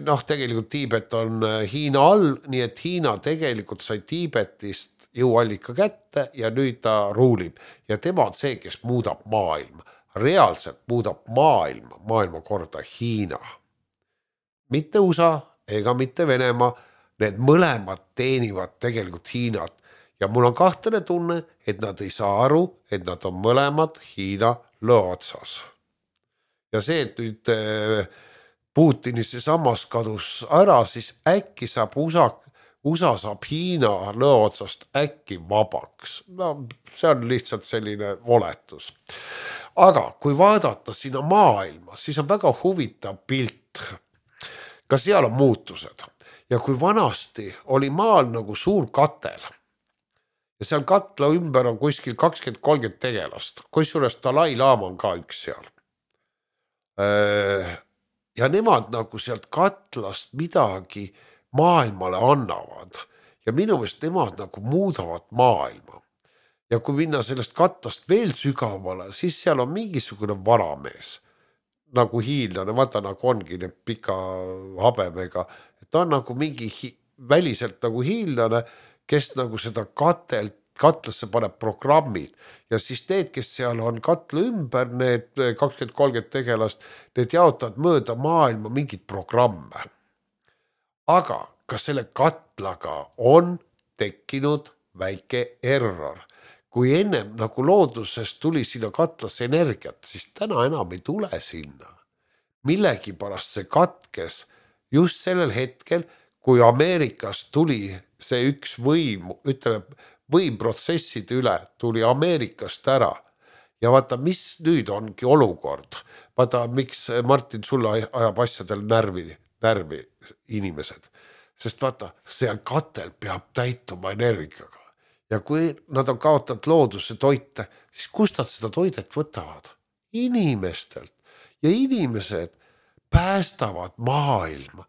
Noh, tegelikult Tiibet on Hiina all, nii et Hiina tegelikult sai Tiibetist jõuallika kätte ja nüüd ta ruulib. Ja tema on see, kes muudab maailma. Reaalselt muudab maailma, maailma korda Hiina. Mitte U S A ega mitte Venemaa, need mõlemad teenivad tegelikult Hiinat. Ja mul on kahtlane tunne, et nad ei saa aru, et nad on mõlemad Hiina lõo otsas. Ja see, et nüüd Putini see sammas kadus ära, siis äkki saab U S A, U S A saab Hiina lõo otsast äkki vabaks. No, see on lihtsalt selline oletus. Aga kui vaadata sinna maailma, siis on väga huvitav pilt. Ka seal on muutused. Ja kui vanasti oli maal nagu suur katel, ja seal katla ümber on kuskil kakskümmend kolmkümmend tegelast, kusjuures Dalai Lama on ka üks seal. Ja nemad nagu sealt katlast midagi maailmale annavad. Ja minu meelest nemad nagu muudavad maailma. Ja kui minna sellest katlast veel sügavale, siis seal on mingisugune varamees. Nagu hiinlane, vaata nagu ongi need pika habemega. Ta on nagu mingi hi- väliselt nagu hiinlane, kes nagu seda katelt, katlasse paneb programmid. Ja siis need, kes seal on katla ümber, need kakskümmend kolmkümmend tegelast, need jaotavad mööda maailma mingid programme. Aga ka selle katlaga on tekkinud väike error. Kui ennem nagu loodusest tuli sinna katlasse energiat, siis täna enam ei tule sinna. Millegi pärast see katkes just sellel hetkel, kui Ameerikas tuli see üks võim, ütleme, võimprotsesside üle tuli Ameerikast ära. Ja vaata, mis nüüd ongi olukord. Vaata, miks Martin sulle ajab asjadel närvi, närvi inimesed. Sest vaata, see katel peab täituma energiaga. Ja kui nad on kaotanud looduse toite, siis kust nad seda toidet võtavad? Inimestelt. Ja inimesed päästavad maailma.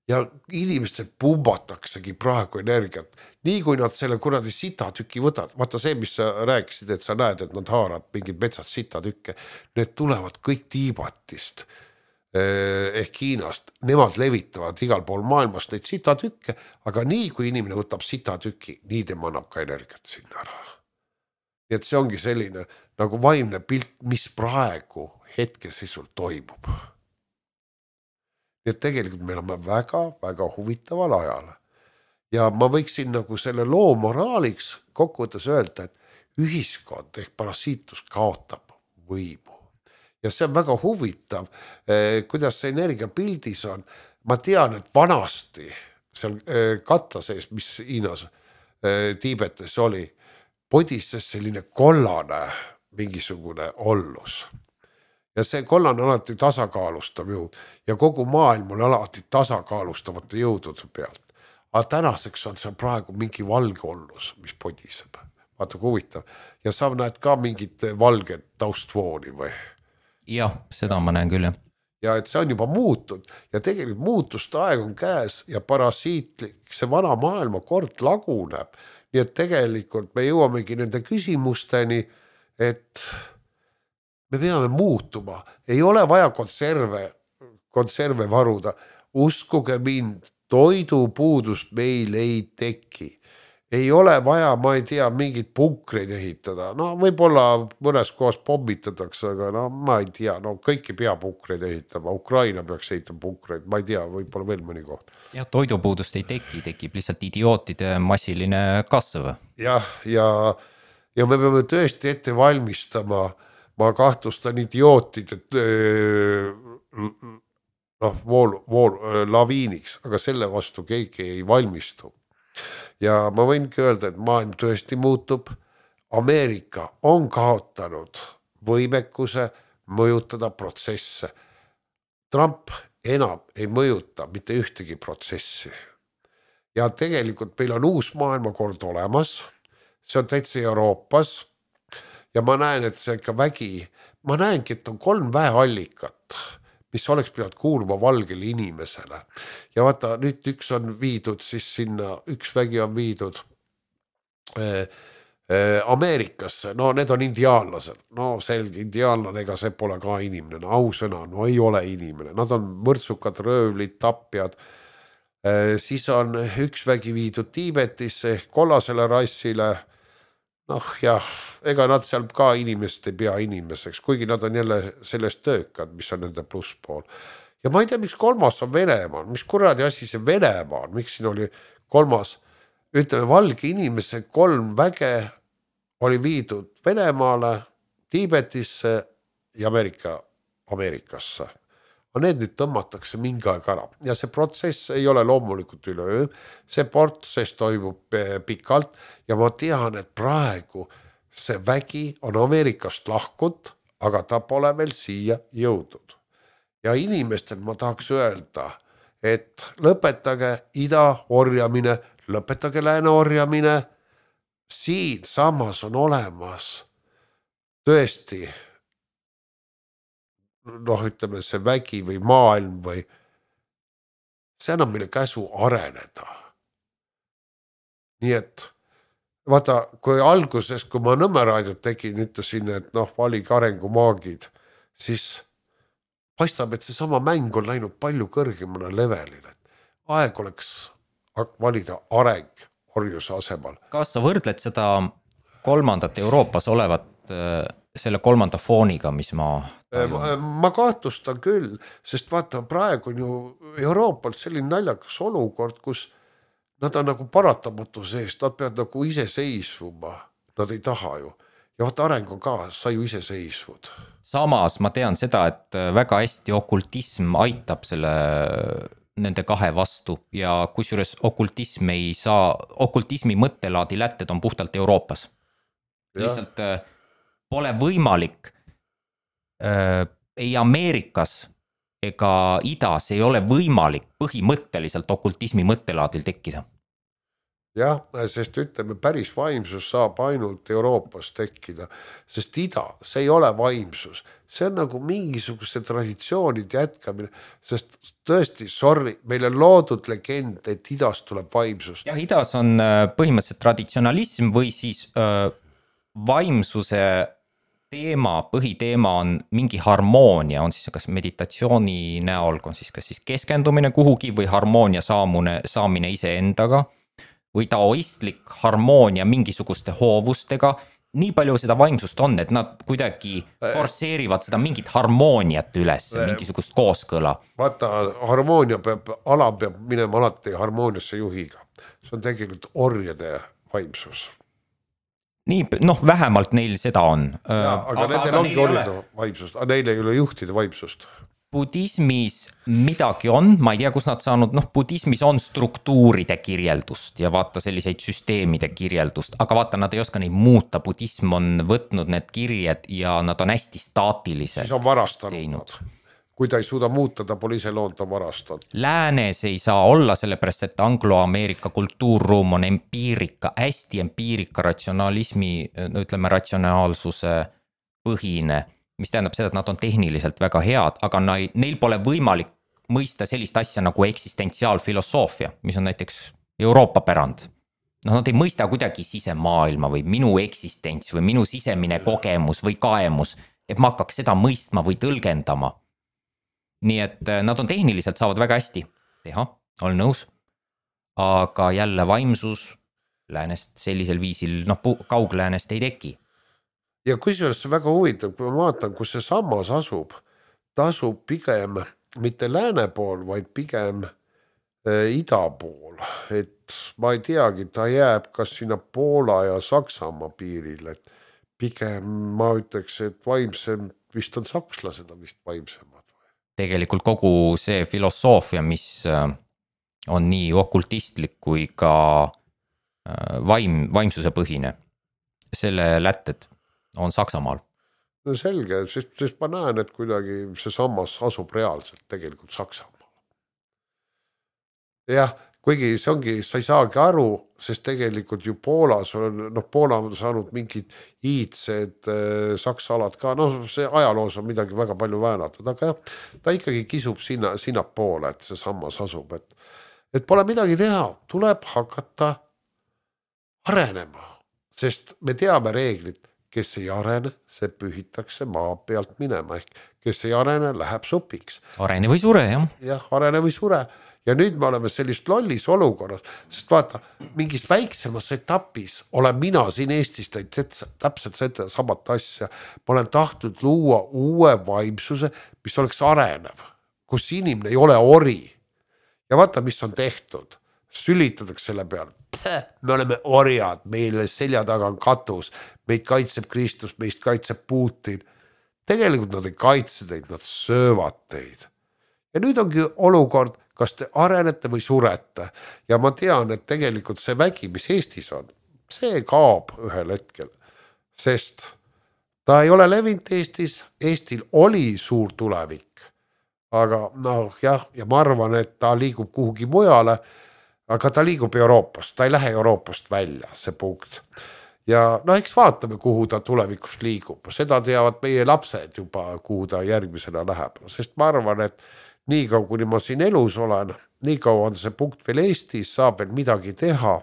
Ja inimestel pumbataksegi praegu energiat. Nii kui nad selle kuradi sitatüki võtavad. Vaata see, mis sa rääkisid, et sa näed, et nad haarad mingid metsad sitatükke. Need tulevad kõik Tiibatist ehk Hiinast. Nemad levitavad igal pool maailmast neid sitatükke, aga nii kui inimene võtab sitatüki, nii tema annab ka energiat sinna ära. Nii et see ongi selline nagu vaimne pilt, mis praegu hetkeseisul toimub. Nii et tegelikult me oleme väga, väga huvitaval ajal. Ja ma võiksin nagu selle loo moraaliks kokkuvõttes öelda, et ühiskond ehk parasiitus kaotab võimu. Ja see on väga huvitav, kuidas see energia pildis on. Ma tean, et vanasti seal katla sees, mis Hiinas Tiibetes oli, podises selline kollane mingisugune ollus. Ja see kollane on alati tasakaalustav jõud ja kogu maailm on alati tasakaalustavate jõudude pealt. Aga tänaseks on see praegu mingi valge ollus, mis podiseb. Vaata kui huvitav. Ja sa näed ka mingit valget taustvooni või? Jah, seda ma näen küll, jah. Ja et see on juba muutud ja tegelikult muutuste aeg on käes ja parasiitlik, see vana maailma kord laguneb. Nii et tegelikult me jõuamegi nende küsimusteni, et me peame muutuma. Ei ole vaja konserve, konserve varuda. Uskuge mind, toidupuudust meil ei teki. Ei ole vaja, ma ei tea, mingid punkreid ehitada. No võib-olla mõnes kohas pommitatakse, aga no ma ei tea, no kõiki pea punkreid ehitama. Ukraina peaks ehitama punkreid, ma ei tea, võib-olla veel mõni koht. Ja toidupuudust ei teki, tekib lihtsalt idiootide massiline kasv. Jah, ja, ja me peame tõesti ette valmistama, ma kahtlustan idiootid, et noh, vool, vool, laviiniks, aga selle vastu keegi ei valmistu. Ja ma võingi öelda, et maailm tõesti muutub. Ameerika on kaotanud võimekuse mõjutada protsesse. Trump enam ei mõjuta mitte ühtegi protsessi. Ja tegelikult meil on uus maailmakord olemas. See on täitsa Euroopas. Ja ma näen, et see ikka vägi, ma näengi, et on kolm väeallikat, mis oleks pidanud kuulma valgele inimesele. Ja vaata, nüüd üks on viidud siis sinna, üks vägi on viidud äh, äh, Ameerikasse, no need on indiaanlased, no selge, indiaanlane, ega see pole ka inimene, no ausõna, no ei ole inimene, nad on mõrtsukad, röövlid, tapjad. Siis on üks vägi viidud Tiibetisse ehk kollasele rassile. Noh jah, ega nad seal ka inimest ei pea inimeseks, kuigi nad on jälle sellest töökad, mis on nende plusspool. Ja ma ei tea, miks kolmas on Venemaa, mis kuradi asi see Venemaa on, miks siin oli kolmas, ütleme valge inimese kolm väge oli viidud Venemaale, Tiibetisse ja Ameerika, Ameerikasse. Aga need nüüd tõmmatakse mingi aeg ära ja see protsess ei ole loomulikult üleöö, see protsess toimub pikalt ja ma tean, et praegu see vägi on Ameerikast lahkut, aga ta pole veel siia jõudnud. Ja inimestel ma tahaks öelda, et lõpetage ida orjamine, lõpetage lääne orjamine, siin samas on olemas tõesti noh, ütleme see vägi või maailm või see annab meile käsu areneda. Nii et vaata, kui alguses, kui ma Nõmme raadiot tegin, ütlesin, et noh, valige arengumaagid, siis paistab, et see sama mäng on läinud palju kõrgemale levelile. Aeg oleks valida areng orjuse asemal. Kas sa võrdled seda kolmandat Euroopas olevat selle kolmanda fooniga, mis ma tajun? Ma kahtlustan küll, sest vaata, praegu on ju Euroopal selline naljakas olukord, kus nad on nagu paratamatu seest, nad peavad nagu iseseisvuma, nad ei taha ju. Ja vaata, areng on ka, sa ju iseseisvud. Samas ma tean seda, et väga hästi okultism aitab selle nende kahe vastu ja kusjuures okultism ei saa, okultismi mõttelaadi lätted on puhtalt Euroopas. Ja. Lihtsalt pole võimalik äh, ei Ameerikas ega idas ei ole võimalik põhimõtteliselt okultismi mõttelaadil tekkida. Jah, sest ütleme, päris vaimsus saab ainult Euroopas tekkida, sest ida, see ei ole vaimsus. See on nagu mingisuguse traditsioonid jätkamine, sest tõesti, sorry, meil on loodud legend, et idas tuleb vaimsus. Ja idas on põhimõtteliselt traditsionalism või siis öö, vaimsuse teema, põhiteema on mingi harmoonia, on siis kas meditatsiooni näol, on siis kas siis keskendumine kuhugi või harmoonia saamune, saamine ise endaga või taoistlik harmoonia mingisuguste hoovustega. Nii palju seda vaimsust on, et nad kuidagi forseerivad seda mingit harmooniat üles, mingisugust kooskõla. Vaata, harmoonia peab, ala peab minema alati harmooniasse juhiga. See on tegelikult orjade vaimsus. Nii, noh, vähemalt neil seda on. Ja, aga, aga nendel ongi orjade vaimsust, aga neil ei ole juhtide vaimsust. Budismis midagi on, ma ei tea, kus nad saanud, noh, budismis on struktuuride kirjeldust ja vaata selliseid süsteemide kirjeldust, aga vaata, nad ei oska neid muuta, budism on võtnud need kirjed ja nad on hästi staatilised. Siis on varastanud. Kui ta ei suuda muuta, ta pole ise lood, ta varastanud. Läänes ei saa olla, sellepärast, et Anglo-Ameerika kultuurruum on empiirika, hästi empiirika ratsionalismi, ütleme ratsionaalsuse põhine, mis tähendab seda, et nad on tehniliselt väga head, aga neil pole võimalik mõista sellist asja nagu eksistentsiaalfilosoofia, mis on näiteks Euroopa pärand. No, nad ei mõista kuidagi sisemaailma või minu eksistents või minu sisemine kogemus või kaemus, et ma hakkaks seda mõistma või tõlgendama. Nii et nad on tehniliselt saavad väga hästi teha, olen nõus, aga jälle vaimsus läänest sellisel viisil, noh, kaugläänest ei teki. Ja kusjuures see väga huvitav, kui ma vaatan, kus see sammas asub, ta asub pigem mitte lääne pool, vaid pigem äh, ida pool. Et ma ei teagi, ta jääb kas sinna Poola ja Saksamaa piiril, et pigem ma ütleks, et vaimsem vist on sakslased on vist vaimsemad. Tegelikult kogu see filosoofia, mis on nii okultistlik kui ka vaim, vaimsuse põhine, selle lätted on Saksamaal. No selge, sest, sest ma näen, et kuidagi see sammas asub reaalselt tegelikult Saksamaal. Jah, kuigi see ongi, sa ei saagi aru, sest tegelikult ju Poolas on, noh, Poola on saanud mingid iidsed äh, saksa alad ka, noh, see ajaloos on midagi väga palju väänatud, aga jah, ta ikkagi kisub sinna, sinna poole, et see sammas asub, et, et pole midagi teha, tuleb hakata arenema, sest me teame reeglit, kes ei arene, see pühitakse maa pealt minema, ehk kes ei arene, läheb supiks. Arene või sure, jah. Jah, arene või sure. Ja nüüd me oleme sellist lollis olukorras, sest vaata, mingis väiksemas etapis olen mina siin Eestis täpselt seda samat asja. Ma olen tahtnud luua uue vaimsuse, mis oleks arenev, kus inimene ei ole ori. Ja vaata, mis on tehtud. Sülitatakse selle peale. Me oleme orjad, meile selja taga on katus, meid kaitseb Kristus, meist kaitseb Putin. Tegelikult nad ei kaitse teid, nad söövad teid. Ja nüüd ongi olukord, kas te arenete või surete. Ja ma tean, et tegelikult see vägi, mis Eestis on, see kaob ühel hetkel, sest ta ei ole levinud Eestis, Eestil oli suur tulevik. Aga noh, jah, ja ma arvan, et ta liigub kuhugi mujale, aga ta liigub Euroopast, ta ei lähe Euroopast välja, see punkt. Ja no eks vaatame, kuhu ta tulevikus liigub. Seda teavad meie lapsed juba, kuhu ta järgmisena läheb. Sest ma arvan, et nii kaua, kuni ma siin elus olen, nii kaua on see punkt veel Eestis, saab veel midagi teha.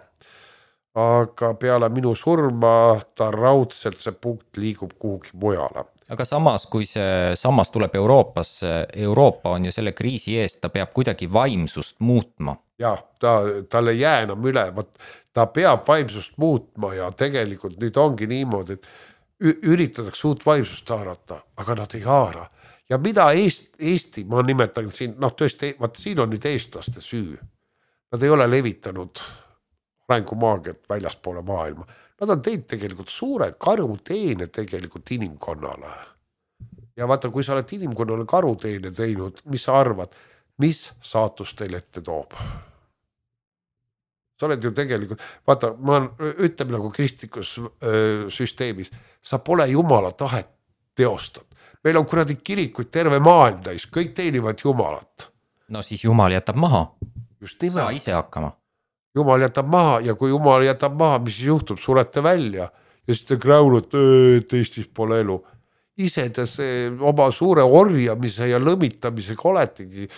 Aga peale minu surma ta raudselt see punkt liigub kuhugi mujale. Aga samas, kui see sammas tuleb Euroopasse, Euroopa on ju selle kriisi eest, ta peab kuidagi vaimsust muutma. Jah, ta, talle jää enam üle, ta peab vaimsust muutma ja tegelikult nüüd ongi niimoodi, et üritatakse uut vaimsust haarata, aga nad ei haara. Ja mida Eest, Eesti, ma nimetan siin, noh tõesti, vaat siin on nüüd eestlaste süü. Nad ei ole levitanud arengumaagiat väljaspoole maailma. Nad on teinud tegelikult suure karuteene tegelikult inimkonnale. Ja vaata, kui sa oled inimkonnale karuteene teinud, mis sa arvad, mis saatus teil ette toob? Sa oled ju tegelikult, vaata, ma ütleme nagu kristlikus öö, süsteemis, sa pole Jumala tahet teostanud. Meil on kuradi kirikuid terve maailm täis, kõik teenivad Jumalat. No siis Jumal jätab maha. Just nimelt. Saa ise hakkama. Jumal jätab maha ja kui Jumal jätab maha, mis siis juhtub, surete välja ja siis te kräunut, et Eestis pole elu. Ise te see oma suure orjamise ja lõmitamisega oletegi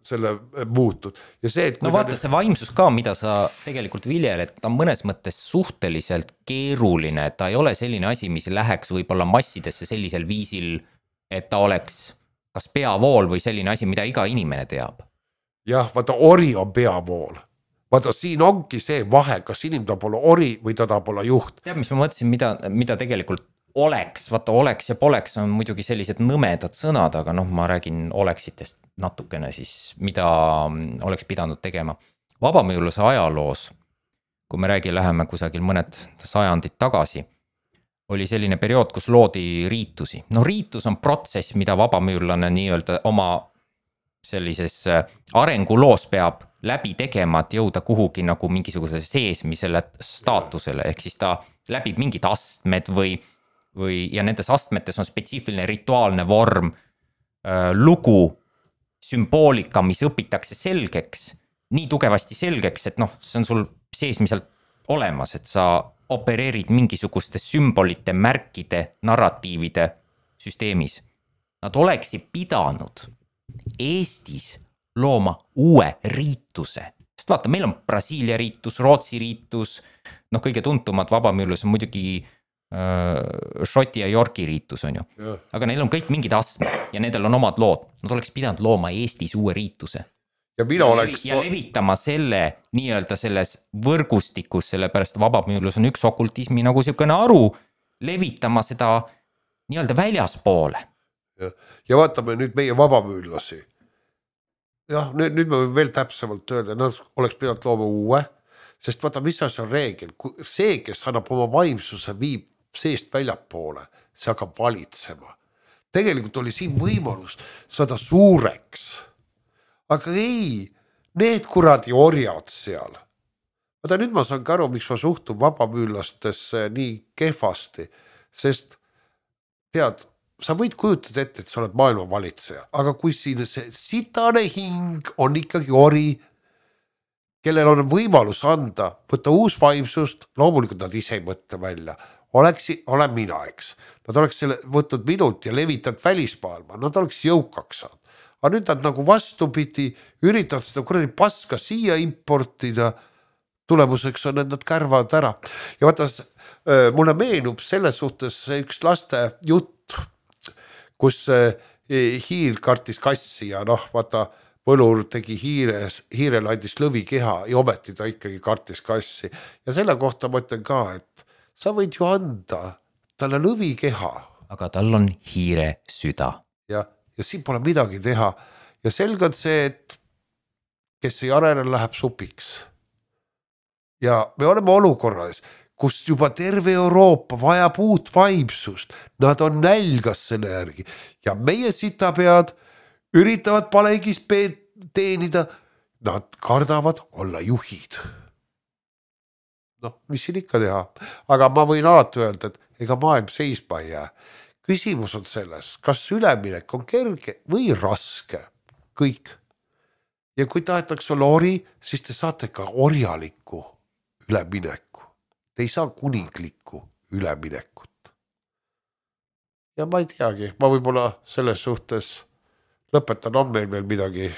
selle muutud. Ja see, et no vaata, see vaimsus ka, mida sa tegelikult viljel, et ta on mõnes mõttes suhteliselt keeruline, ta ei ole selline asi, mis läheks võib-olla massidesse sellisel viisil, et ta oleks kas peavool või selline asi, mida iga inimene teab. Jah, vaata, ori on peavool. Vaata, siin ongi see vahe, kas inimene ta pole ori või ta ta pole juht. Tead, mis ma mõtlesin, mida, mida tegelikult oleks, vaata oleks ja poleks on muidugi sellised nõmedad sõnad, aga noh, ma räägin oleksitest natukene siis, mida oleks pidanud tegema. Vabamüürluse ajaloos, kui me räägi, läheme kusagil mõned sajandid tagasi, oli selline periood, kus loodi riitusi. No riitus on protsess, mida vabamüürlane nii-öelda oma sellises arenguloos peab läbi tegema, et jõuda kuhugi nagu mingisuguse seesmisele staatusele, ehk siis ta läbib mingid astmed või, või ja nendes astmetes on spetsiifiline rituaalne vorm, lugu, sümboolika, mis õpitakse selgeks, nii tugevasti selgeks, et noh, see on sul seesmiselt olemas, et sa opereerid mingisuguste sümbolite, märkide, narratiivide süsteemis. Nad oleksid pidanud Eestis looma uue riituse. Sest vaata, meil on Brasiilia riitus, Rootsi riitus, noh kõige tuntumad vabamüürlus on muidugi äh, Šoti ja Yorki riitus on ju. Ja. Aga neil on kõik mingid astmed ja nendel on omad lood. Nad oleks pidanud looma Eestis uue riituse. Ja, mina ja, oleks... ja levitama selle nii-öelda selles võrgustikus, sellepärast vabamüürlus on üks okultismi nagu siukene aru, levitama seda nii-öelda väljaspoole. Ja, ja vaatame nüüd meie vabamüürlasi. Jah, nüüd, nüüd me veel täpsemalt öelda, nad oleks pidanud looma uue, sest vaata, mis on reegel, see, kes annab oma vaimsuse, viib seest väljapoole, see hakkab valitsema. Tegelikult oli siin võimalus saada suureks, aga ei, need kuradi orjad seal. Vaata, nüüd ma saan aru, miks ma suhtun vabamüürlastesse nii kehvasti, sest tead, sa võid kujutada ette, et sa oled maailma valitseja, aga kui siin see sitane hing on ikkagi ori, kellel on võimalus anda, võtta uus vaimsust, loomulikult nad ise ei mõtle välja, oleks, olen mina, eks. Nad oleks selle võtnud minult ja levitanud välismaailma, nad oleks jõukaks saanud. Aga nüüd nad nagu vastupidi, üritavad seda kuradi paska siia importida, tulemuseks on, et nad kärvad ära. Ja vaata, mulle meenub selles suhtes üks laste jutt, kus hiir kartis kassi ja noh, vaata, võlur tegi hiires, hiirel andis lõvikeha ja ometi ta ikkagi kartis kassi. Ja selle kohta ma ütlen ka, et sa võid ju anda talle lõvikeha. Aga tal on hiire süda. Ja, ja siin pole midagi teha. Ja selge on see, et kes ei arene, läheb supiks. Ja me oleme olukorras, kus juba terve Euroopa vajab uut vaimsust. Nad on nälgas selle järgi. Ja meie sitapead üritavad palegis teenida. Nad kardavad olla juhid. Noh, mis siin ikka teha. Aga ma võin alati öelda, et ega maailm seisma ei jää. Küsimus on selles, kas üleminek on kerge või raske. Kõik. Ja kui tahetakse olla ori, siis te saate ka orjalikku ülemineku. Te ei saa kuninglikku üleminekut. Ja ma ei teagi, ma võib-olla selles suhtes lõpetan, on meil veel midagi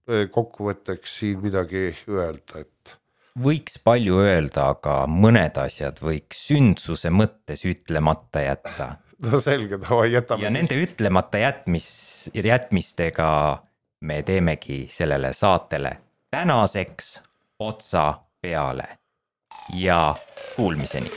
kokkuvõtteks siin midagi öelda, et võiks palju öelda, aga mõned asjad võiks sündsuse mõttes ütlemata jätta. No selge, no jätame ja siis. Nende ütlemata jätmis, jätmistega me teemegi sellele saatele tänaseks otsa peale ja kuulmiseni.